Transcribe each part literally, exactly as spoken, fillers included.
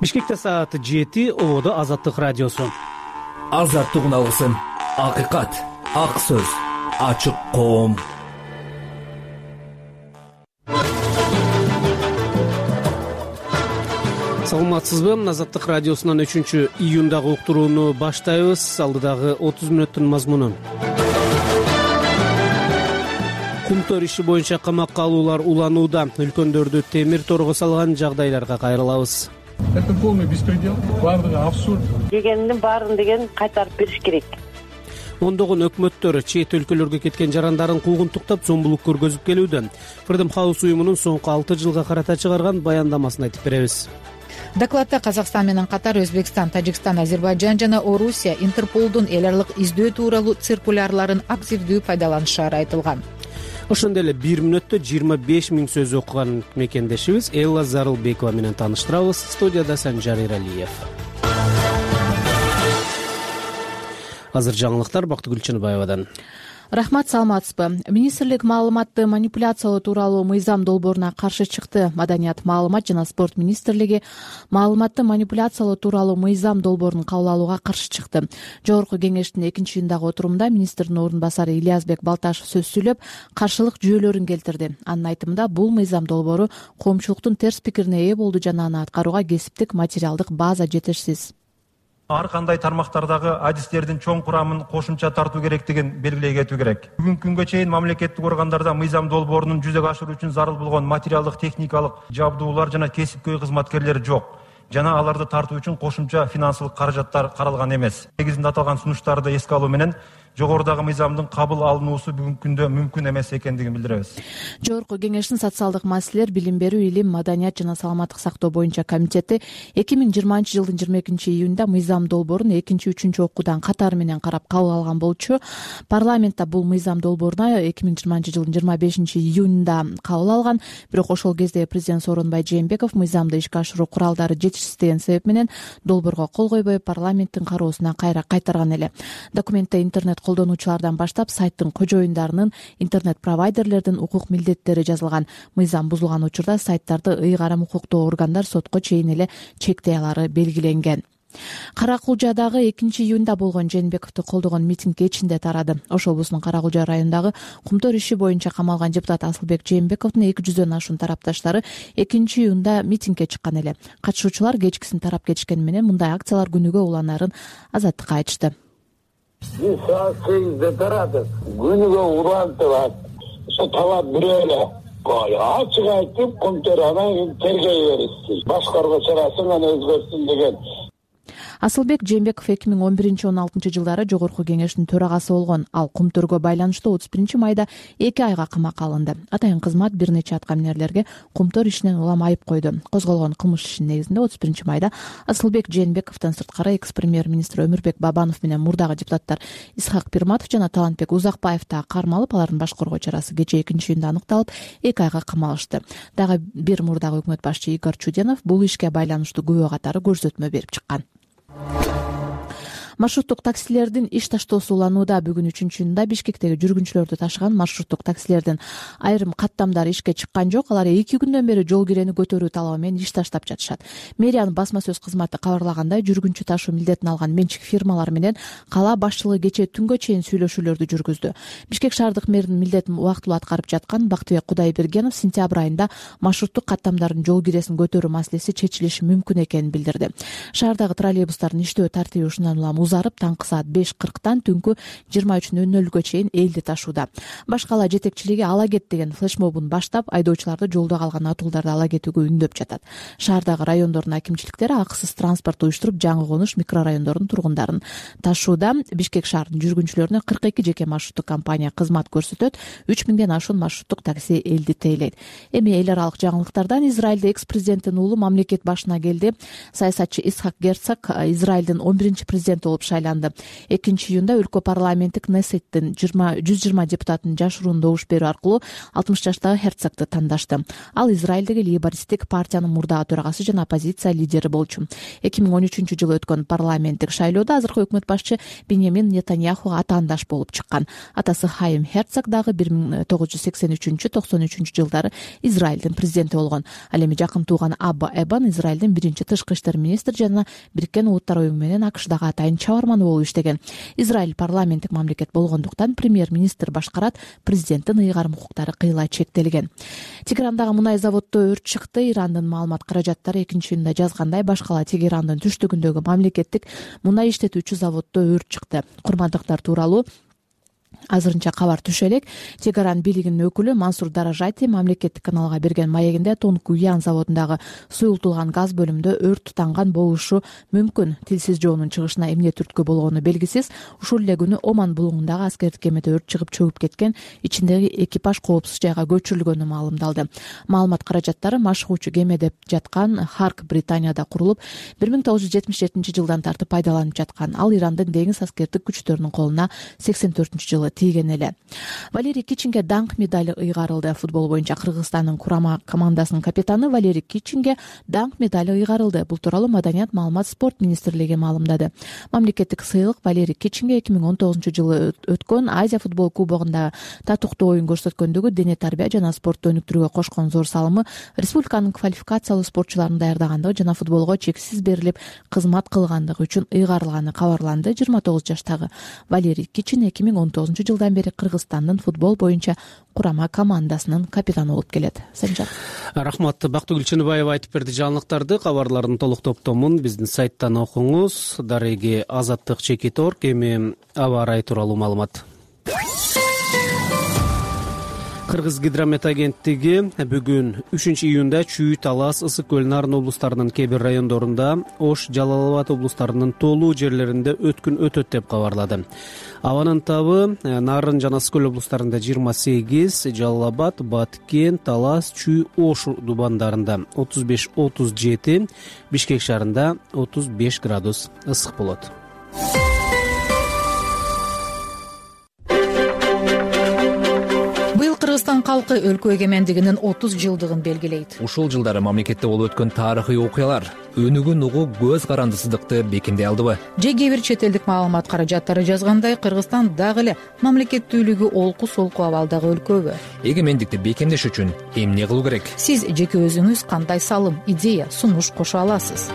Бишкекте саат жети, ободо Азаттык радиосу. Азаттык алгысын, акыйкат, ак сөз, ачык коом. Саламатсызбы? Азаттык радиосунан үчүнчү июндагы уктурууну баштайбыз. Алдыдагы отуз мүнөттүн мазмуну. Кумтөр иши боюнча камакка алуулар уланууда. Үлкөндөрдү темир торго салган жагдайларга кайрылабыз. Это полный беспредел, баардыгы абсурд. Дегендин баарын деген кайтарып бериш керек. Ондогон өкмөттөр чет өлкөлөргө кеткен жарандарын куугунтуктап, зомбулук көргөзүп келүүдө. Freedom House уюмунун соңку алты жылга карата чыгарган баяндамасын айтып беребиз. Докладта Казакстан менен катар Өзбекстан, Тажикстан, Азербайджан жана Орусия Интерполдун эл аралык издөө тууралуу циркулярларын активдүү пайдаланышары айтылган. Ошондой эле бир мүнөттө жыйырма беш миң сөз окуган мекендешибиз Элла Зарылбекова менен тааныштырабыз. Студияда Санжар Иралиев. Азыр жаңылыктар Бактыгүл Чыныбаевадан. Рахмат, саламатсызбы? Министрлик маалыматты манипуляциялоо тууралуу мыйзам долбооруна каршы чыкты. Маданият, маалымат жана спорт министрлиги маалыматты манипуляциялоо тууралуу мыйзам долбоорун кабыл алууга каршы чыкты. Жогорку кеңештин экинчи июндагы отурумда министрдин орун басары Ильязбек Балташев сөз сүйлөп, каршылык жүйөлөрүн келтирди. Анын айтымында бул мыйзам долбоору коомчулуктун терс пикирине ээ болду жана аны аткарууга кесиптик материалдык база жетишсиз. Ар кандай тармактардагы адистердин чоң курамын кошумча тартуу керектигин белгилей кетүү керек. Бүгүнкү күнгө чейин мамлекеттик органдарда мыйзам долбоорунун жүзөгө ашыруу үчүн зарыл болгон материалдык, техникалык жабдуулар жана кесипкөй кызматкерлер жок. Жана аларды тартуу үчүн кошумча финансылык каражаттар каралган эмес. Негизинде аталган сунуштарды эске алуу менен жогорудагы мыйзамдын кабыл алынуусу бүгүнкү күндө мүмкүн эмес экендигин билдиребиз. Жогорку кеңештин социалдык маселелер, билим берүү, илим, маданият жана саламаттык сактоо боюнча комитети эки миң жыйырманчы жылдын жыйырма экинчи июнда мыйзам долбоорун экинчи, үчүнчү окуудан катары менен карап кабыл алган болчу. Парламентте бул мыйзам долбооруна эки миң жыйырманчы жылдын жыйырма бешинчи июнунда кабыл алган. Бирок ошол кезде президент Сооронбай Жээнбеков мыйзамды ишке ашыруу куралдары жетишсиз деген себеп менен долбоорго кол койбой парламенттин кароосуна кайра кайтарган эле. Документте интернет колдонуучулардан баштап сайттын кожоюндарынын, интернет-провайдерлердин укук милдеттери жазылган. Мыйзам бузулган учурда сайттарды ыйгарым укуктуу органдар сотко чейин эле чектей алары белгиленген. Кара-Кулжадагы экинчи июнда болгон Жээнбековду колдогон митинг кечинде тарады. Ош облусунун Кара-Кулжа районундагы Кумтөр иши боюнча камалган депутат Асылбек Жээнбековдун эки жүздөн ашуун тарапташтары экинчи июнда митингге чыккан эле. Катышуучулар кечкисин тарап кетишкени менен мындай акциялар күнүгө уланарын Азаттыкка айтышты. Биз саат сегизде тарадык, күнүгө улантылат. Ошо талап бирөө эле. Ачык айтып, Кумтөр анан тергей беришти. Башкаруу чарасын аны өзгөртсүн деген. Асылбек Жээнбеков эки миң он биринчи он алтынчы жылдары жогорку кеңештин төрагасы болгон. Ал Кумтөргө байланыштуу отуз биринчи майда эки айга камакка алынды. Атайын кызмат бир нече аткаминерлерге Кумтөр ишинен улам айып койду. Козголгон кылмыш ишинин негизинде отуз биринчи майда Асылбек Жээнбековдон сырткары экс-премьер-министр Өмүрбек Бабанов менен мурдагы депутаттар Исхак Пирматов жана Талантбек Узакбаев да кармалып, алардын башкаруу чарасы кечээ экинчи июнда аныкталып, эки айга камалышты. Дагы бир мурдагы өкмөт башчы Игорь Чуденов бул ишке байланыштуу күбө катары көрсөтмө берип чыккан. Маршруттук таксилердин иш таштоосу уланууда. Бүгүн үчүнчү июнда Бишкектеги жүргүнчүлөрдү ташыган маршруттук таксилердин айрым каттамдары ишке чыккан жок. Алар эки күндөн бери жол кирени көтөрүү талабы менен иш таштап жатышат. Мэриянын басма сөз кызматы кабарлагандай, жүргүнчү ташуу милдетин алган менчик фирмалар менен кала башчылыгы кечээ түнгө чейин сүйлөшүүлөрдү жүргүздү. Бишкек шаардык мэринин милдетин убактылуу аткарып жаткан Бактыбек Кудайбергенов сентябрь айында маршруттук каттамдардын жол киресин көтөрүү маселеси чечилиши мүмкүн экенин билдирди. Шаардагы троллейбустардын иштөө тартиби ушундан улам узарып, таңкы саат беш кырктан түнкү жыйырма үч нөл нөлгө чейин элди ташууда. Башкала жетекчилиги ала кет деген флешмобун баштап, айдоочуларды жолдо калган атуулдарды ала кетүүгө үндөп жатат. Шаардагы райондордун акимчиликтери акысыз транспорт уюштуруп, жаңы конуш микрорайондордун тургундарын ташууда. Бишкек шаарынын жүргүнчүлөрүнө кырк эки жеке маршруттук компания кызмат көрсөтөт. үч миңден ашуун маршруттук такси элди тейлейт. Эми эл аралык жаңылыктардан Израилде экс-президенттин уулу мамлекет башына келди. Саясатчы Исхак Герцог Израилдин он биринчи президенти болуп болуп шайланды. экинчи июнда өлкө парламенти Кнессеттин жүз жыйырма депутатын жашыруун добуш берүү аркылуу алтымыш жаштагы Херцогду тандашты. Ал Израилдеги лейбористтик партиянын мурдагы төрагасы жана оппозиция лидери болчу. эки миң он үчүнчү жылы өткөн парламенттик шайлоодо азыркы өкмөт башчы Беньямин Нетаньяхуга атаандаш болуп чыккан. Атасы Хайм Херцог дагы бир миң тогуз жүз сексен үчүнчү токсон үчүнчү жылдары Израилдин президенти болгон. Ал эми жакын тууган Абба Эбан Израилдин биринчи тышкы иштер министри жана Бириккен Улуттар уюму менен АКШдагы атайын чабарманы болуп иштеген. Израиль парламенттик мамлекет болгондуктан премьер-министр башкарат, президенттин ыйгарым укуктары кыйла чектелген. Тегерандагы мунай заводдо өрт чыкты. Ирандын маалымат каражаттары экинчи июнда жазгандай, башкала Тегерандын түштүгүндөгү мамлекеттик мунай иштетүүчү заводдо өрт чыкты. Курмандыктар тууралуу азырынча кабар түшө элек. Тегеран бийлигинин өкүлү Мансур Даражати мамлекеттик каналга берген маегинде Тонгуян заводундагы суюлтулган газ бөлүмдө өрт тутанган болушу мүмкүн. Тилсиз жоонун чыгышына эмне түрткү болгону белгисиз. Ушул эле күнү Оман булуңундагы аскердик кемеде өрт чыгып чөгүп кеткен, ичиндеги экипаж коопсуз жайга көчүрүлгөнү маалымдалды. Маалымат каражаттары машыгуучу кеме деп жаткан Харк Британияда курулуп, бир миң тогуз жүз жетимиш жетинчи жылдан тартып пайдаланып жаткан. Ал Ирандын деңиз аскердик күчтөрүнүн колуна сексен төртүнчү жылы тийген эле. Валерий Кичинге даңк медали ыйгарылды. Футбол боюнча Кыргызстандын курама командасынын капитаны Валерий Кичинге даңк медали ыйгарылды. Бул тууралуу Маданият, маалымат, спорт министрлиги маалымдады. Мамлекеттик сыйлык Валерий Кичинге эки миң он тогузунчу жылы өткөн Азия футбол кубогунда татыктуу оюн көрсөткөндөгү дене тарбия жана спортту өнүктүрүүгө кошкон зор салымы, республиканын квалификациялуу спортчуларын даярдагандыгы жана футболго чексиз берилип кызмат кылгандыгы үчүн ыйгарылганы кабарланды. жыйырма тогуз жаштагы Валерий Кичин эки миң он тогузунчу жылдан бери Кыргызстандын футбол боюнча курама командасынын капитаны болуп келет. Санжар. Рахмат. Бактыгүл Чыныбаева айтып берди жаңылыктарды. Кабарлардын толук топтомун биздин сайттан окуңуз. Дареги Азаттык Чекит Орг эми аба ырайы тууралуу маалымат. Кыргыз гидромет агенттиги бүгүн үчүнчү июнда Чүй, Талас, Ысык көл, Нарын облустарынын кээ бир райондорунда, Ош, Жалал Абад облустарынын тоолуу жерлеринде өткүн өтөт деп кабарлады. Абанын табы Нарын жана Ысык көл облустарында жыйырма сегиз, Жалал Абад, Баткен, Талас, Чүй, Ош дубандарында отуз беш отуз жети, Бишкек шаарында отуз беш градус ысык болот. Кыргызстан калкы өлкө эгемендигинин отуз жылдыгын белгилейт. Ушул жылдары мамлекетте болуп өткөн тарыхый окуялар өнүгүн угуу көз карандысыздыкты бекемдей алдыбы? Же кээ бир чет элдик маалымат каражаттары жазгандай, Кыргызстан дагы эле мамлекеттүүлүгү олку солку абалдагы өлкөбү? Эгемендикти бекемдеш үчүн эмне кылуу керек? Сиз жеке өзүңүз кандай салым, идея, сунуш кошо аласыз?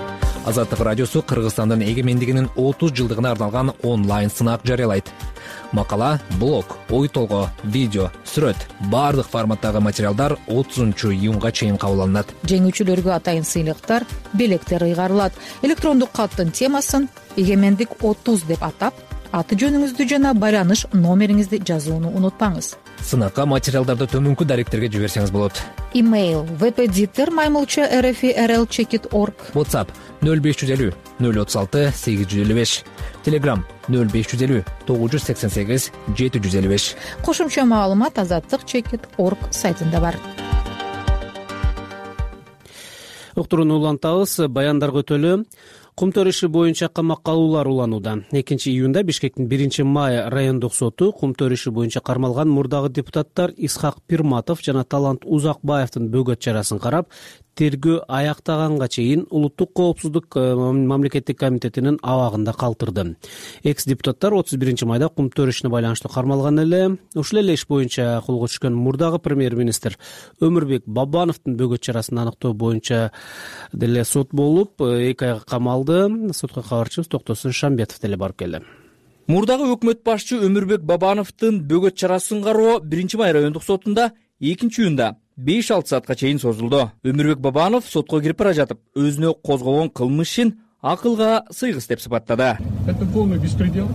Азаттык радиосу Кыргызстандын эгемендигинин отуз жылдыгына арналган онлайн сынак жарыялайт. Макала, блог, ой толгоо, видео, сүрөт, баардык форматтагы материалдар отузунчу июнга чейин кабыл алынат. Жеңүүчүлөргө атайын сыйлыктар, белектер ыйгарылат. Электрондук каттын темасын эгемендик отуз деп атап, аты жөнүңүздү жана байланыш номериңизди жазууну унутпаңыз. Сынакка материалдарды төмөнкү даректерге жиберсеңиз болот. Имейл впдиктер маймылча рф рл чекит орг. WhatsApp нөл беш жүз элүү нөл отуз алты сегиз жүз элүү беш. Telegram нөл беш жүз элүү тогуз жүз сексен сегиз жети жүз элүү беш. Кошумча маалымат азаттык чекит орг сайтында бар. Уктурууну улантабыз. Баяндарга өтөлү. Кумтөр иши боюнча камакка алуулар уланууда. экинчи июнда Бишкектин биринчи май райондук соту Кумтөр иши боюнча кармалган мурдагы депутаттар Исхак Пирматов жана Талант Узакбаевдин бөгөт чарасын карап, тергөө аяктаганга чейин Улуттук коопсуздук мамлекеттик комитетинин абагында калтырды. Экс депутаттар отуз биринчи майда Кумтөр ишине байланыштуу кармалган эле. Ушул эле иш боюнча колго түшкөн мурдагы премьер-министр Өмүрбек Бабановдун бөгөт чарасын аныктоо боюнча деле сот болуп, эки айга камалды. Сотко кабарчыбыз Токтосун Шамбетов деле барып келди. Мурдагы өкмөт башчы Өмүрбек Бабановдун бөгөт чарасын кароо биринчи май райондук сотунда экинчи июнда беш алты саатка чейин созулду. Өмүрбек Бабанов сотко кирип бара жатып, өзүнө козголгон кылмыш ишин акылга сыйгыс деп сыпаттады. Это полный беспредел,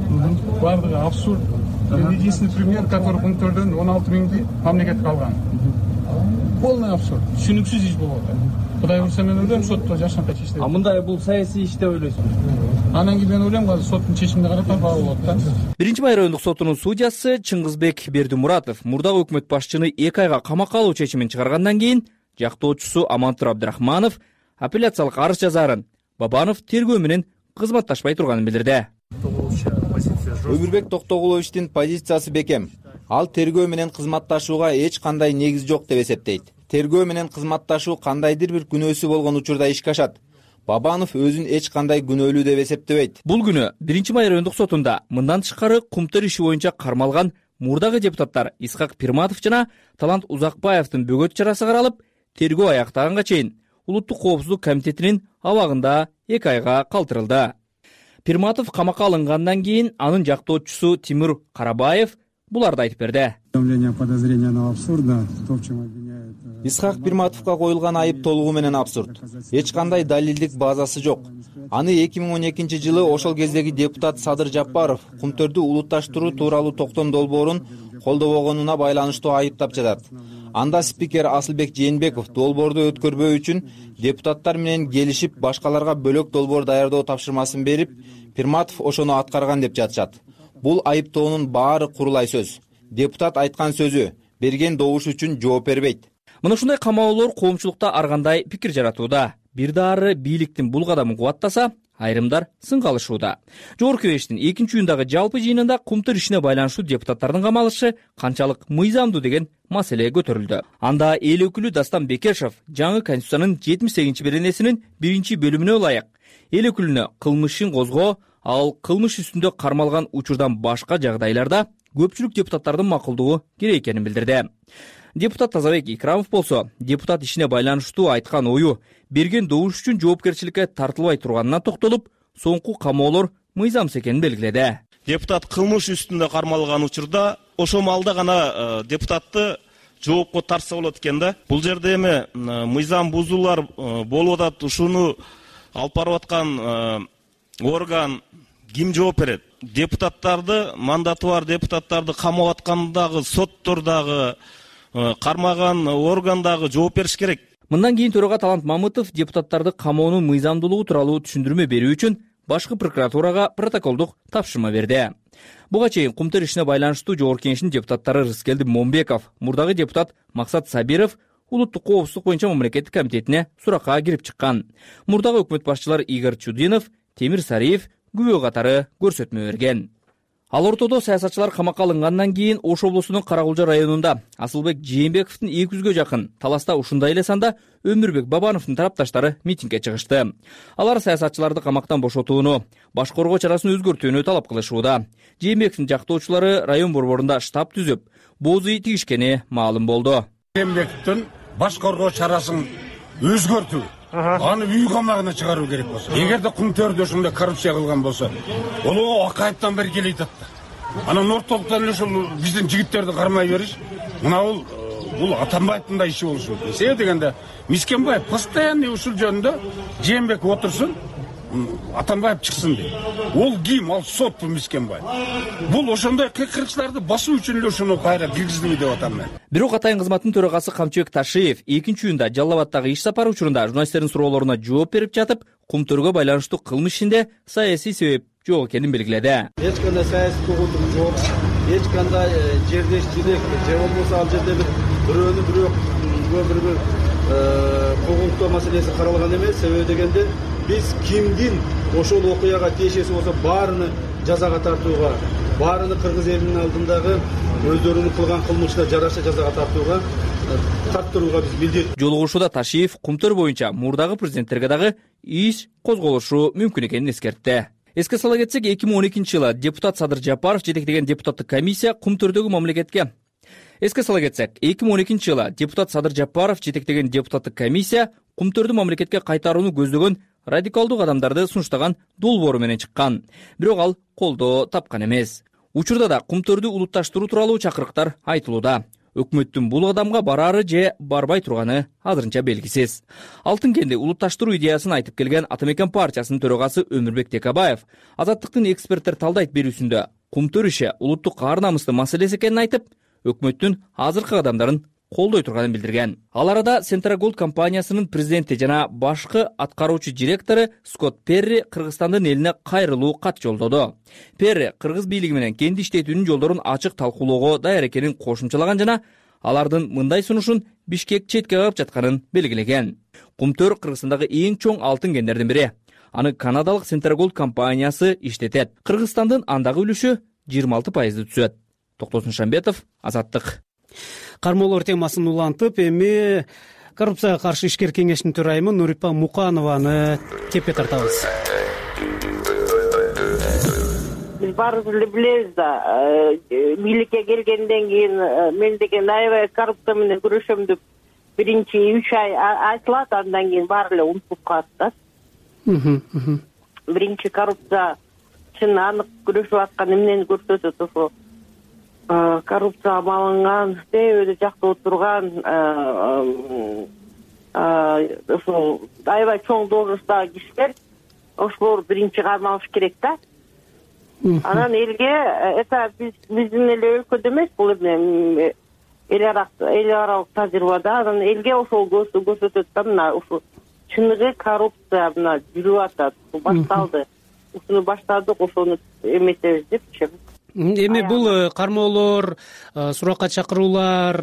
бардыгы абсурд. Единственный пример, который Кумтөрдөн он алты миңди мамлекетке алган. Полный абсурд. Түшүнүксүз иш болуп атат. Кудай урса мен ойлойм, сотто жашанкай чечилет. А мындай бул саясий иш деп ойлойсузбу? Анан кийин мен ойлойм, азыр соттун чечимине карап баа болот да. биринчи май райондук сотунун судьясы Чыңгызбек Бердимуратов мурдагы өкмөт башчыны эки айга камакка алуу чечимин чыгаргандан кийин жактоочусу Амантур Абдрахманов апелляциялык арыз жазаарын Бабанов тергөө менен кызматташпай турганын билдирди. Өмүрбек Токтогуловичтин позициясы бекем. Ал тергөө менен кызматташууга эч кандай негиз жок деп эсептейт. Тергөө менен кызматташуу кандайдыр бир күнөөсү болгон учурда ишке ашат. Бабанов өзүн эч кандай күнөөлүү деп эсептебейт. Бул күнү биринчи май райондук сотунда мындан тышкары Кумтөр иши боюнча кармалган мурдагы депутаттар Исхак Пирматов жана Талант Узакбаевдин бөгөт чарасы каралып, тергөө аяктаганга чейин Улуттук коопсуздук комитетинин абагында эки айга калтырылды. Пирматов камакка алынгандан кийин анын жактоочусу Тимур Карабаев буларды айтып берди. Исхак Пирматовго коюлган айып толугу менен абсурд. Эч кандай далилдик базасы жок. Аны эки миң он экинчи жылы ошол кездеги депутат Садыр Жапаров Кумтөрдү улутташтыруу тууралуу токтом долбоорун колдобогонуна байланыштуу айыптап жатат. Анда спикер Асылбек Жээнбеков долбоорду өткөрбөө үчүн депутаттар менен келишип, башкаларга бөлөк долбоор даярдоо тапшырмасын берип, Пирматов ошону аткарган деп жатышат. Бул айыптоонун баары курулай сөз. Депутат айткан сөзү, берген добуш үчүн жооп бербейт. Мына ушундай камаолор коомчулукта ар кандай пикир жаратууда. Бир дары бийликтин бул кадамын кубаттаса, айрымдар сынга алышууда. Жогорку Кеңештин экинчи июндагы жалпы жыйынында Кумтөр ишине байланыштуу депутаттардын камалышы канчалык мыйзамдуу деген маселе көтөрүлдү. Анда эл өкүлү Дастан Бекешев жаңы конституциянын жетимиш сегизинчи беренесинин биринчи бөлүмүнө ылайык эл өкүлүнө кылмышын козгоо, ал кылмыш үстүндө кармалган учурдан башка жагдайларда көпчүлүк депутаттардын макулдугу керек экенин билдирди. Депутат Тазабек Икрамов болсо, депутат ишине байланыштуу айткан ою берген добуш үчүн жоопкерчиликке тартылбай турганына токтолуп, соңку камоолор мыйзамсыз экенин белгиледи. Депутат кылмыш үстүндө кармалган учурда ошол маалда гана депутатты жоопко тартса болот экен да. Бул жерде эми мыйзам бузуулар болуп атат, ушуну алып барып аткан орган ким жооп берет? Депутаттарды, мандаты бар депутаттарды камап аткандагы соттордагы кармаган органдагы жооп бериш керек. Мындан кийин төрага Талант Мамытов депутаттарды камоонун мыйзамдуулугу тууралуу түшүндүрмө берүү үчүн башкы прокуратурага протоколдук тапшырма берди. Буга чейин Кумтөр ишине байланыштуу Жогорку Кеңештин депутаттары Рыскелди Момбеков, мурдагы депутат Максат Сабиров Улуттук коопсуздук боюнча мамлекеттик комитетине суракка кирип чыккан. Мурдагы өкмөт башчылары Игорь Чудинов, Темир Сариев күбө катары көрсөтмө берген. Ал ортодо саясатчылар камакка алынгандан кийин Ош облусунун Каракулжа районунда Асылбек Жээнбековдун эки жүзгө жакын, Таласта ушундай эле санда Өмүрбек Бабановдун тарапташтары митингге чыгышты. Алар саясатчыларды камактан бошотууну, башкаруу чарасын өзгөртүүнү талап кылышууда. Жээнбековдун жактоочулары район борборунда штаб түзүп, боозу тигишкени маалым болду. Жээнбековдун башкаруу чарасын өзгөртүү, аны үй камагына чыгаруу керек болсо, эгерде Кумтөрдө ушундай коррупция кылган болсо, ол акайыптан бери келет атты. Анан ортолуктан эле ушул биздин жигиттерди кармай бериш, мына бул бул Атамбаевдин да иши болушу керек. Себеби дегенде Мискенбаев постоянный ушул жөнүндө Жээнбеков отурсун, Атамбаев чыксын дейт. Ол ким? Ал сот бул Мискенбаев. Бул ошондой кыркырчыларды басуу үчүн эле ушуну кайра киргиздиби деп атам мен. Бирок Атайын кызматтын төрагасы Камчыбек Ташиев экинчи июнда Жалал Абадтагы иш сапары учурунда журналисттердин суроолоруна жооп берип жатып, Кумтөргө байланыштуу кылмыш ишинде саясий себеп жок экенин белгиледи. Эч кандай саясий куугунтук жок, эч кандай жердешчилик же болбосо ал жерде бир бирөөнү бирөө бир бир куугунтуу маселеси каралган эмес. Себеби дегенде биз кимдин ошол окуяга тиешеси болсо баарыны жазага тартууга, баарыны кыргыз элинин алдындагы өздөрүнүн кылган кылмышына жараша жазага тартууга тарттырууга биз милдет. Жолугушууда Ташиев Кумтөр боюнча мурдагы президенттерге дагы иш козголушу мүмкүн экенин эскертти. Эске сала кетсек, эки миң он экинчи жылы депутат Садыр Жапаров жетектеген депутаттык комиссия Кумтөрдөгү мамлекетке Эске сала кетсек, эки миң он экинчи жылы депутат Садыр Жапаров жетектеген депутаттык комиссия Кумтөрдү мамлекетке кайтарууну көздөгөн радикалдуу кадамдарды сунуштаган долбоору менен чыккан. Бирок ал колдоо тапкан эмес. Учурда да Кумтөрдү улутташтыруу тууралуу чакырыктар айтылууда. Өкмөттүн бул кадамга барары же барбай турганы азырынча белгисиз. Алтын кенди улутташтыруу идеясын айтып келген Ата Мекен партиясынын төрагасы Өмүрбек Текебаев Азаттыктын эксперттер талдайт берүүсүндө Кумтөр иши улуттук ар намыстын маселеси экенин айтып, өкмөттүн азыркы кадамдарын колдой турганын билдирген. Ал арада Центрагол компаниясынын президенти жана башкы аткаруучу директору Скотт Перри Кыргызстандын элине кайрылуу кат жолдоду. Перри кыргыз бийлиги менен кенди иштетүүнүн жолдорун ачык талкуулоого даяр экенин кошумчалаган жана алардын мындай сунушун Бишкек четке кагып жатканын белгилеген. Кумтөр Кыргызстандагы эң чоң алтын кендердин бири. аны канадалык Centergold компаниясы иштетет. Кыргызстандын андагы үлүшү жыйырма алты пайызды түзөт. Токтосун Шамбетов, Азаттык. Кармоолор темасын улантып, эми коррупцияга каршы ишкер кеңештин төрайымы Нурипа Муканованы кепке тартабыз. Биз баарыбыз эле билебиз да, бийликке келгенден кийин мен деген аябай коррупция менен күрөшөм деп биринчи үч ай айтылат, андан кийин баары эле унутуп калат да. Биринчи коррупция чын анык күрөшүп аткан эмнени көрсөтөт, ошо коррупцияга малынган, себеби жакта отурган, ошо аябай чоң должносттагы кишилер, ошолор биринчи кармалыш керек да. Анан элге, это биздин эле өлкөдө эмес, бул эме эл аралык тажрыйбада, анан элге ошол көрсөтөт да, мына ушул чыныгы коррупция мына жүрүп атат, башталды. Ушуну баштадык, ошону эметебиз депчи. Эми бул кармоолор, суракка чакыруулар,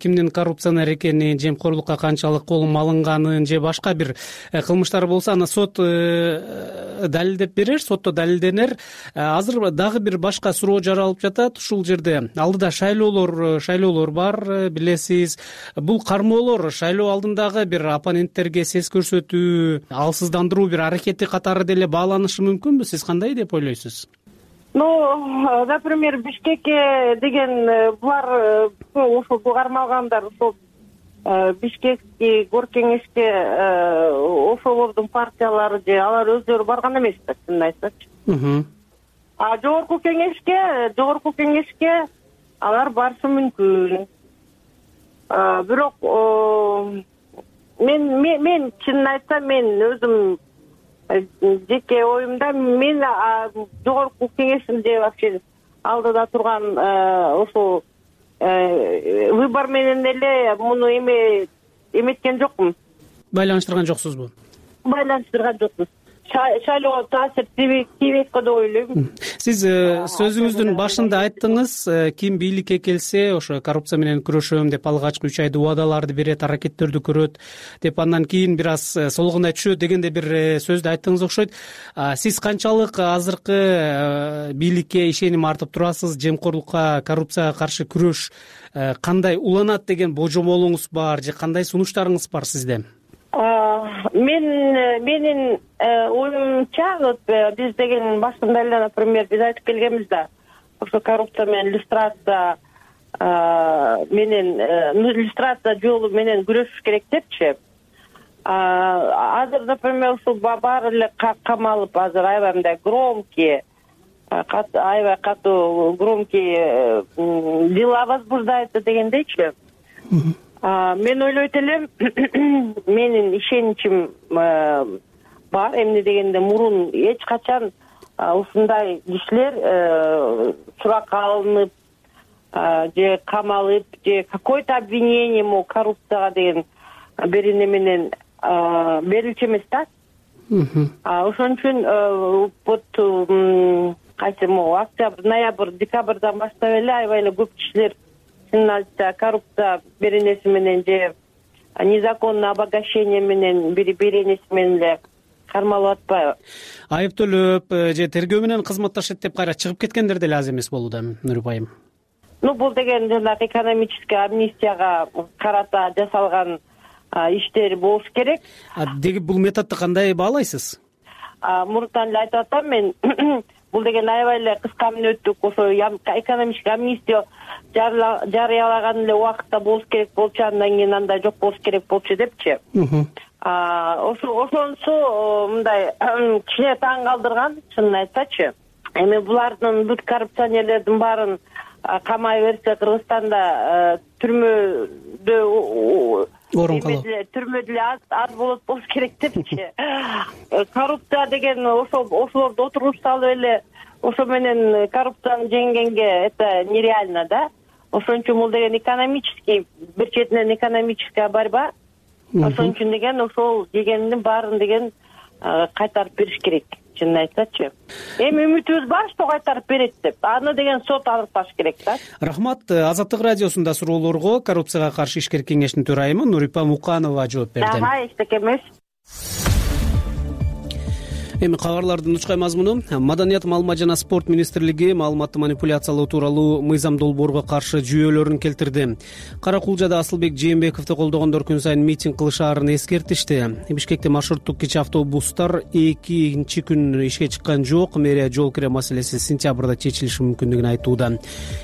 кимдин коррупционер экенин, жемкорлукка канчалык колун алынганын же башка бир кылмыштар болсо, аны сот далилдеп берер, сотто далилденер. Азыр дагы бир башка суроо жаралып жатат ушул жерде. Алдыда шайлоолор, шайлоолор бар, билесиз. Бул кармоолор шайлоо алдындагы бир оппоненттерге сес көрсөтүү, алсыздандыруу бир аракети катары деле бааланышы мүмкүнбү? Сиз кандай деп ойлойсуз? Ну, например, Бишкекке деген булар ошо кармалгандар, ошо Бишкекке горкеңешке ошолордун партиялары же алар өздөрү барган эмес да, чынын айтсачы. А жогорку кеңешке, жогорку кеңешке алар барышы мүмкүн. Бирок мен мен чынын айтсам, мен өзүм жеке оюмда, мен жогорку кеңештин же вообще алдыда турган ошо выбор менен эле муну эме эметкен жокмун. Байланыштырган жоксузбу? Байланыштырган жокпуз. Шайлоого таасир тийбейт го деп ойлойм. Сиз сөзүңүздүн башында айттыңыз, ким бийликке келсе ошо коррупция менен күрөшөм деп алгачкы үч айда убадаларды берет, аракеттерди көрөт деп, андан кийин бир аз солгунай түшөт дегенде бир сөздү айттыңыз окшойт. Сиз канчалык азыркы бийликке ишеним артып турасыз? Жемкорлукка, коррупцияга каршы күрөш кандай уланат деген божомолуңуз бар же кандай сунуштарыңыз бар сизде? Мен менин оюмча, вот биз деген башында эле, например, биз айтып келгенбиз да, ошо коррупция менен иллюстрация менен иллюстрация жолу менен күрөшүш керек депчи. Азыр, например, ушул баары эле камалып, азыр аябай мындай громкий, аябай катуу громкий дела возбуждается дегендейчи. Мен ойлойт элем, менин ишеничим бар, эмне дегенде мурун эч качан ушундай кишилер суракка алынып же камалып же какой-то обвинение мо коррупцияга деген бир эме менен берилчү эмес да. Ошон үчүн вот кайсы мо октябрь, ноябрь, декабрдан баштап эле аябай эле көп кишилер чынын айтса коррупция беренеси менен же незаконное обогащение менен бир беренеси менен эле кармалып атпайбы? Айыптөлөп же тергөө менен кызматташат деп кайра чыгып кеткендер деле аз эмес болууда, Нурипа айым. Ну, бул деген жанагы экономический амнистияга карата жасалган иштер болуш керек. Деги бул методду кандай баалайсыз? Мурунтан эле айтып атам мен, бул деген аябай эле кыска мүнөттүк, ошо экономический амнистия жарыялаган эле убакытта болуш керек болчу, андан кийин андай жок болуш керек болчу депчи. Ошо ошонусу мындай кичине таң калтырган, чынын айтсачы. Эми булардын бүт коррупционерлердин баарын камай берсе, Кыргызстанда түрмөдө орун калуу, түрмөдө эле аз болот болуш керек депчи. Коррупция деген ошолорду отуруп салып эле ошо менен коррупцияны жеңгенге это нереально да. Ошон үчүн бул деген экономический, бир четинен экономическая борьба. Ошон үчүн деген ошол дегендин баарын деген кайтарып бериш керек, чынын айтсачы. Эми үмүтүбүз бар, что кайтарып берет деп. Аны деген сот аныкташ керек да. Рахмат. Азаттык радиосунда суроолорго коррупцияга каршы ишкер кеңештин төрайымы Нурипа Муканова жооп берди. Ага, эчтеке эмес. Эми кабарлардын учкай мазмуну. Маданият, маалымат жана спорт министрлиги маалыматты манипуляциялоо тууралуу мыйзам долбоорго каршы жүйөлөрүн келтирди. Кара Кулжада Асылбек Жээнбековду колдогондор күн сайын митинг кылышаарын эскертишти. Бишкекте маршруттук кичи автобустар экинчи күн ишке чыккан жок. Мэрия жол кире маселеси сентябрда чечилиши мүмкүндүгүн айтууда.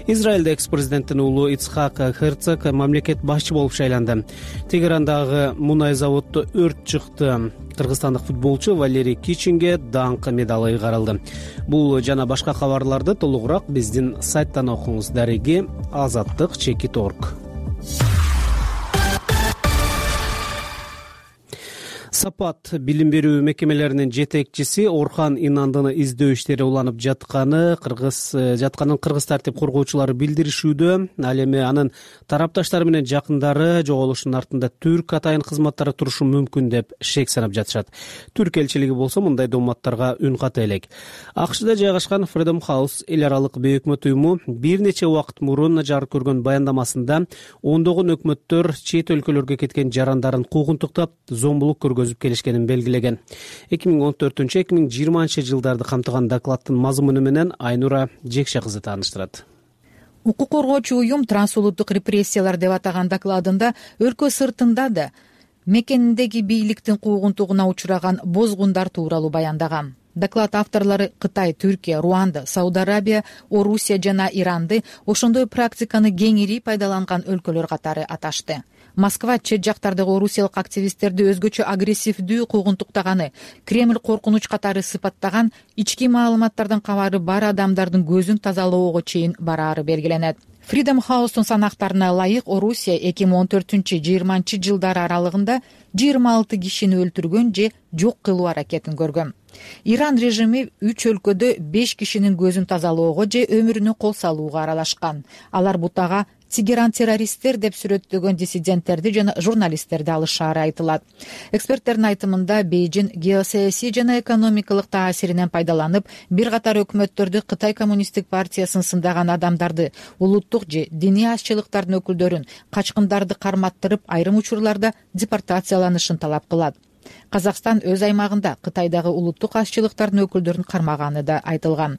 Израилде экс-президенттин уулу Ицхак Херцог мамлекет башчы болуп шайланды. Тегерандагы мунай заводдо өрт чыкты. Кыргызстандык футболчу Валерий Кичинге даңк медалы ыйгарылды. Бул жана башка кабарларды толугураак биздин сайттан окуңуз. Дареги азаттык чекит орг. Сапат билим берүү мекемелеринин жетекчиси Орхан Инандыны издөө иштери уланып жатканы кыргыз жатканын кыргыз тартип коргоочулары билдиришүүдө. Ал эми анын тарапташтары менен жакындары жоголушунун артында түрк атайын кызматтары турушу мүмкүн деп шек санап жатышат. Түрк элчилиги болсо мындай дооматтарга үн ката элек. АКШда жайгашкан Freedom House эл аралык бейөкмөт уюму бир нече убакыт мурун жарык көргөн баяндамасында ондогон өкмөттөр чет өлкөлөргө кеткен жарандарын куугунтуктап, зомбулук көргөзүп келишкенин белгилеген. эки миң он төртүнчү эки миң жыйырманчы жылдарды камтыган докладдын мазмуну менен Айнура Жекше кызы тааныштырат. Укук коргоочу уюм трансулуттук репрессиялар деп атаган докладында өлкө сыртында да мекениндеги бийликтин куугунтугуна учураган бозгундар тууралуу баяндаган. Доклад авторлору Кытай, Түркия, Руанда, Сауд Арабия, Орусия жана Иранды ошондой практиканы кеңири пайдаланган өлкөлөр катары аташты. Москва чет жактардагы орусиялык активисттерди өзгөчө агрессивдүү куугунтуктаганы, Кремль коркунуч катары сыпаттаган, ички маалыматтардан кабары бар адамдардын көзүн тазалоого чейин бараары белгиленет. Freedom House'тун санактарына ылайык Орусия эки миң он төртүнчү жыйырманчы жылдары аралыгында жыйырма алты кишини өлтүргөн же жок кылуу аракетин көргөн. Иран режими үч өлкөдө беш кишинин көзүн тазалоого же өмүрүнө кол салууга аралашкан. Алар бутага Тегеран террористтер деп сүрөттөгөн диссиденттерди жана журналисттерди алышаары айтылат. Эксперттердин айтымында Бейжин геосаясий жана экономикалык таасиринен пайдаланып, бир катар өкмөттөрдү Кытай коммунисттик партиясын сындаган адамдарды, улуттук же диний азчылыктардын өкүлдөрүн, качкындарды карматтырып, айрым учурларда депортацияланышын талап кылат. Казакстан өз аймагында Кытайдагы улуттук азчылыктардын өкүлдөрүн кармаганы да айтылган.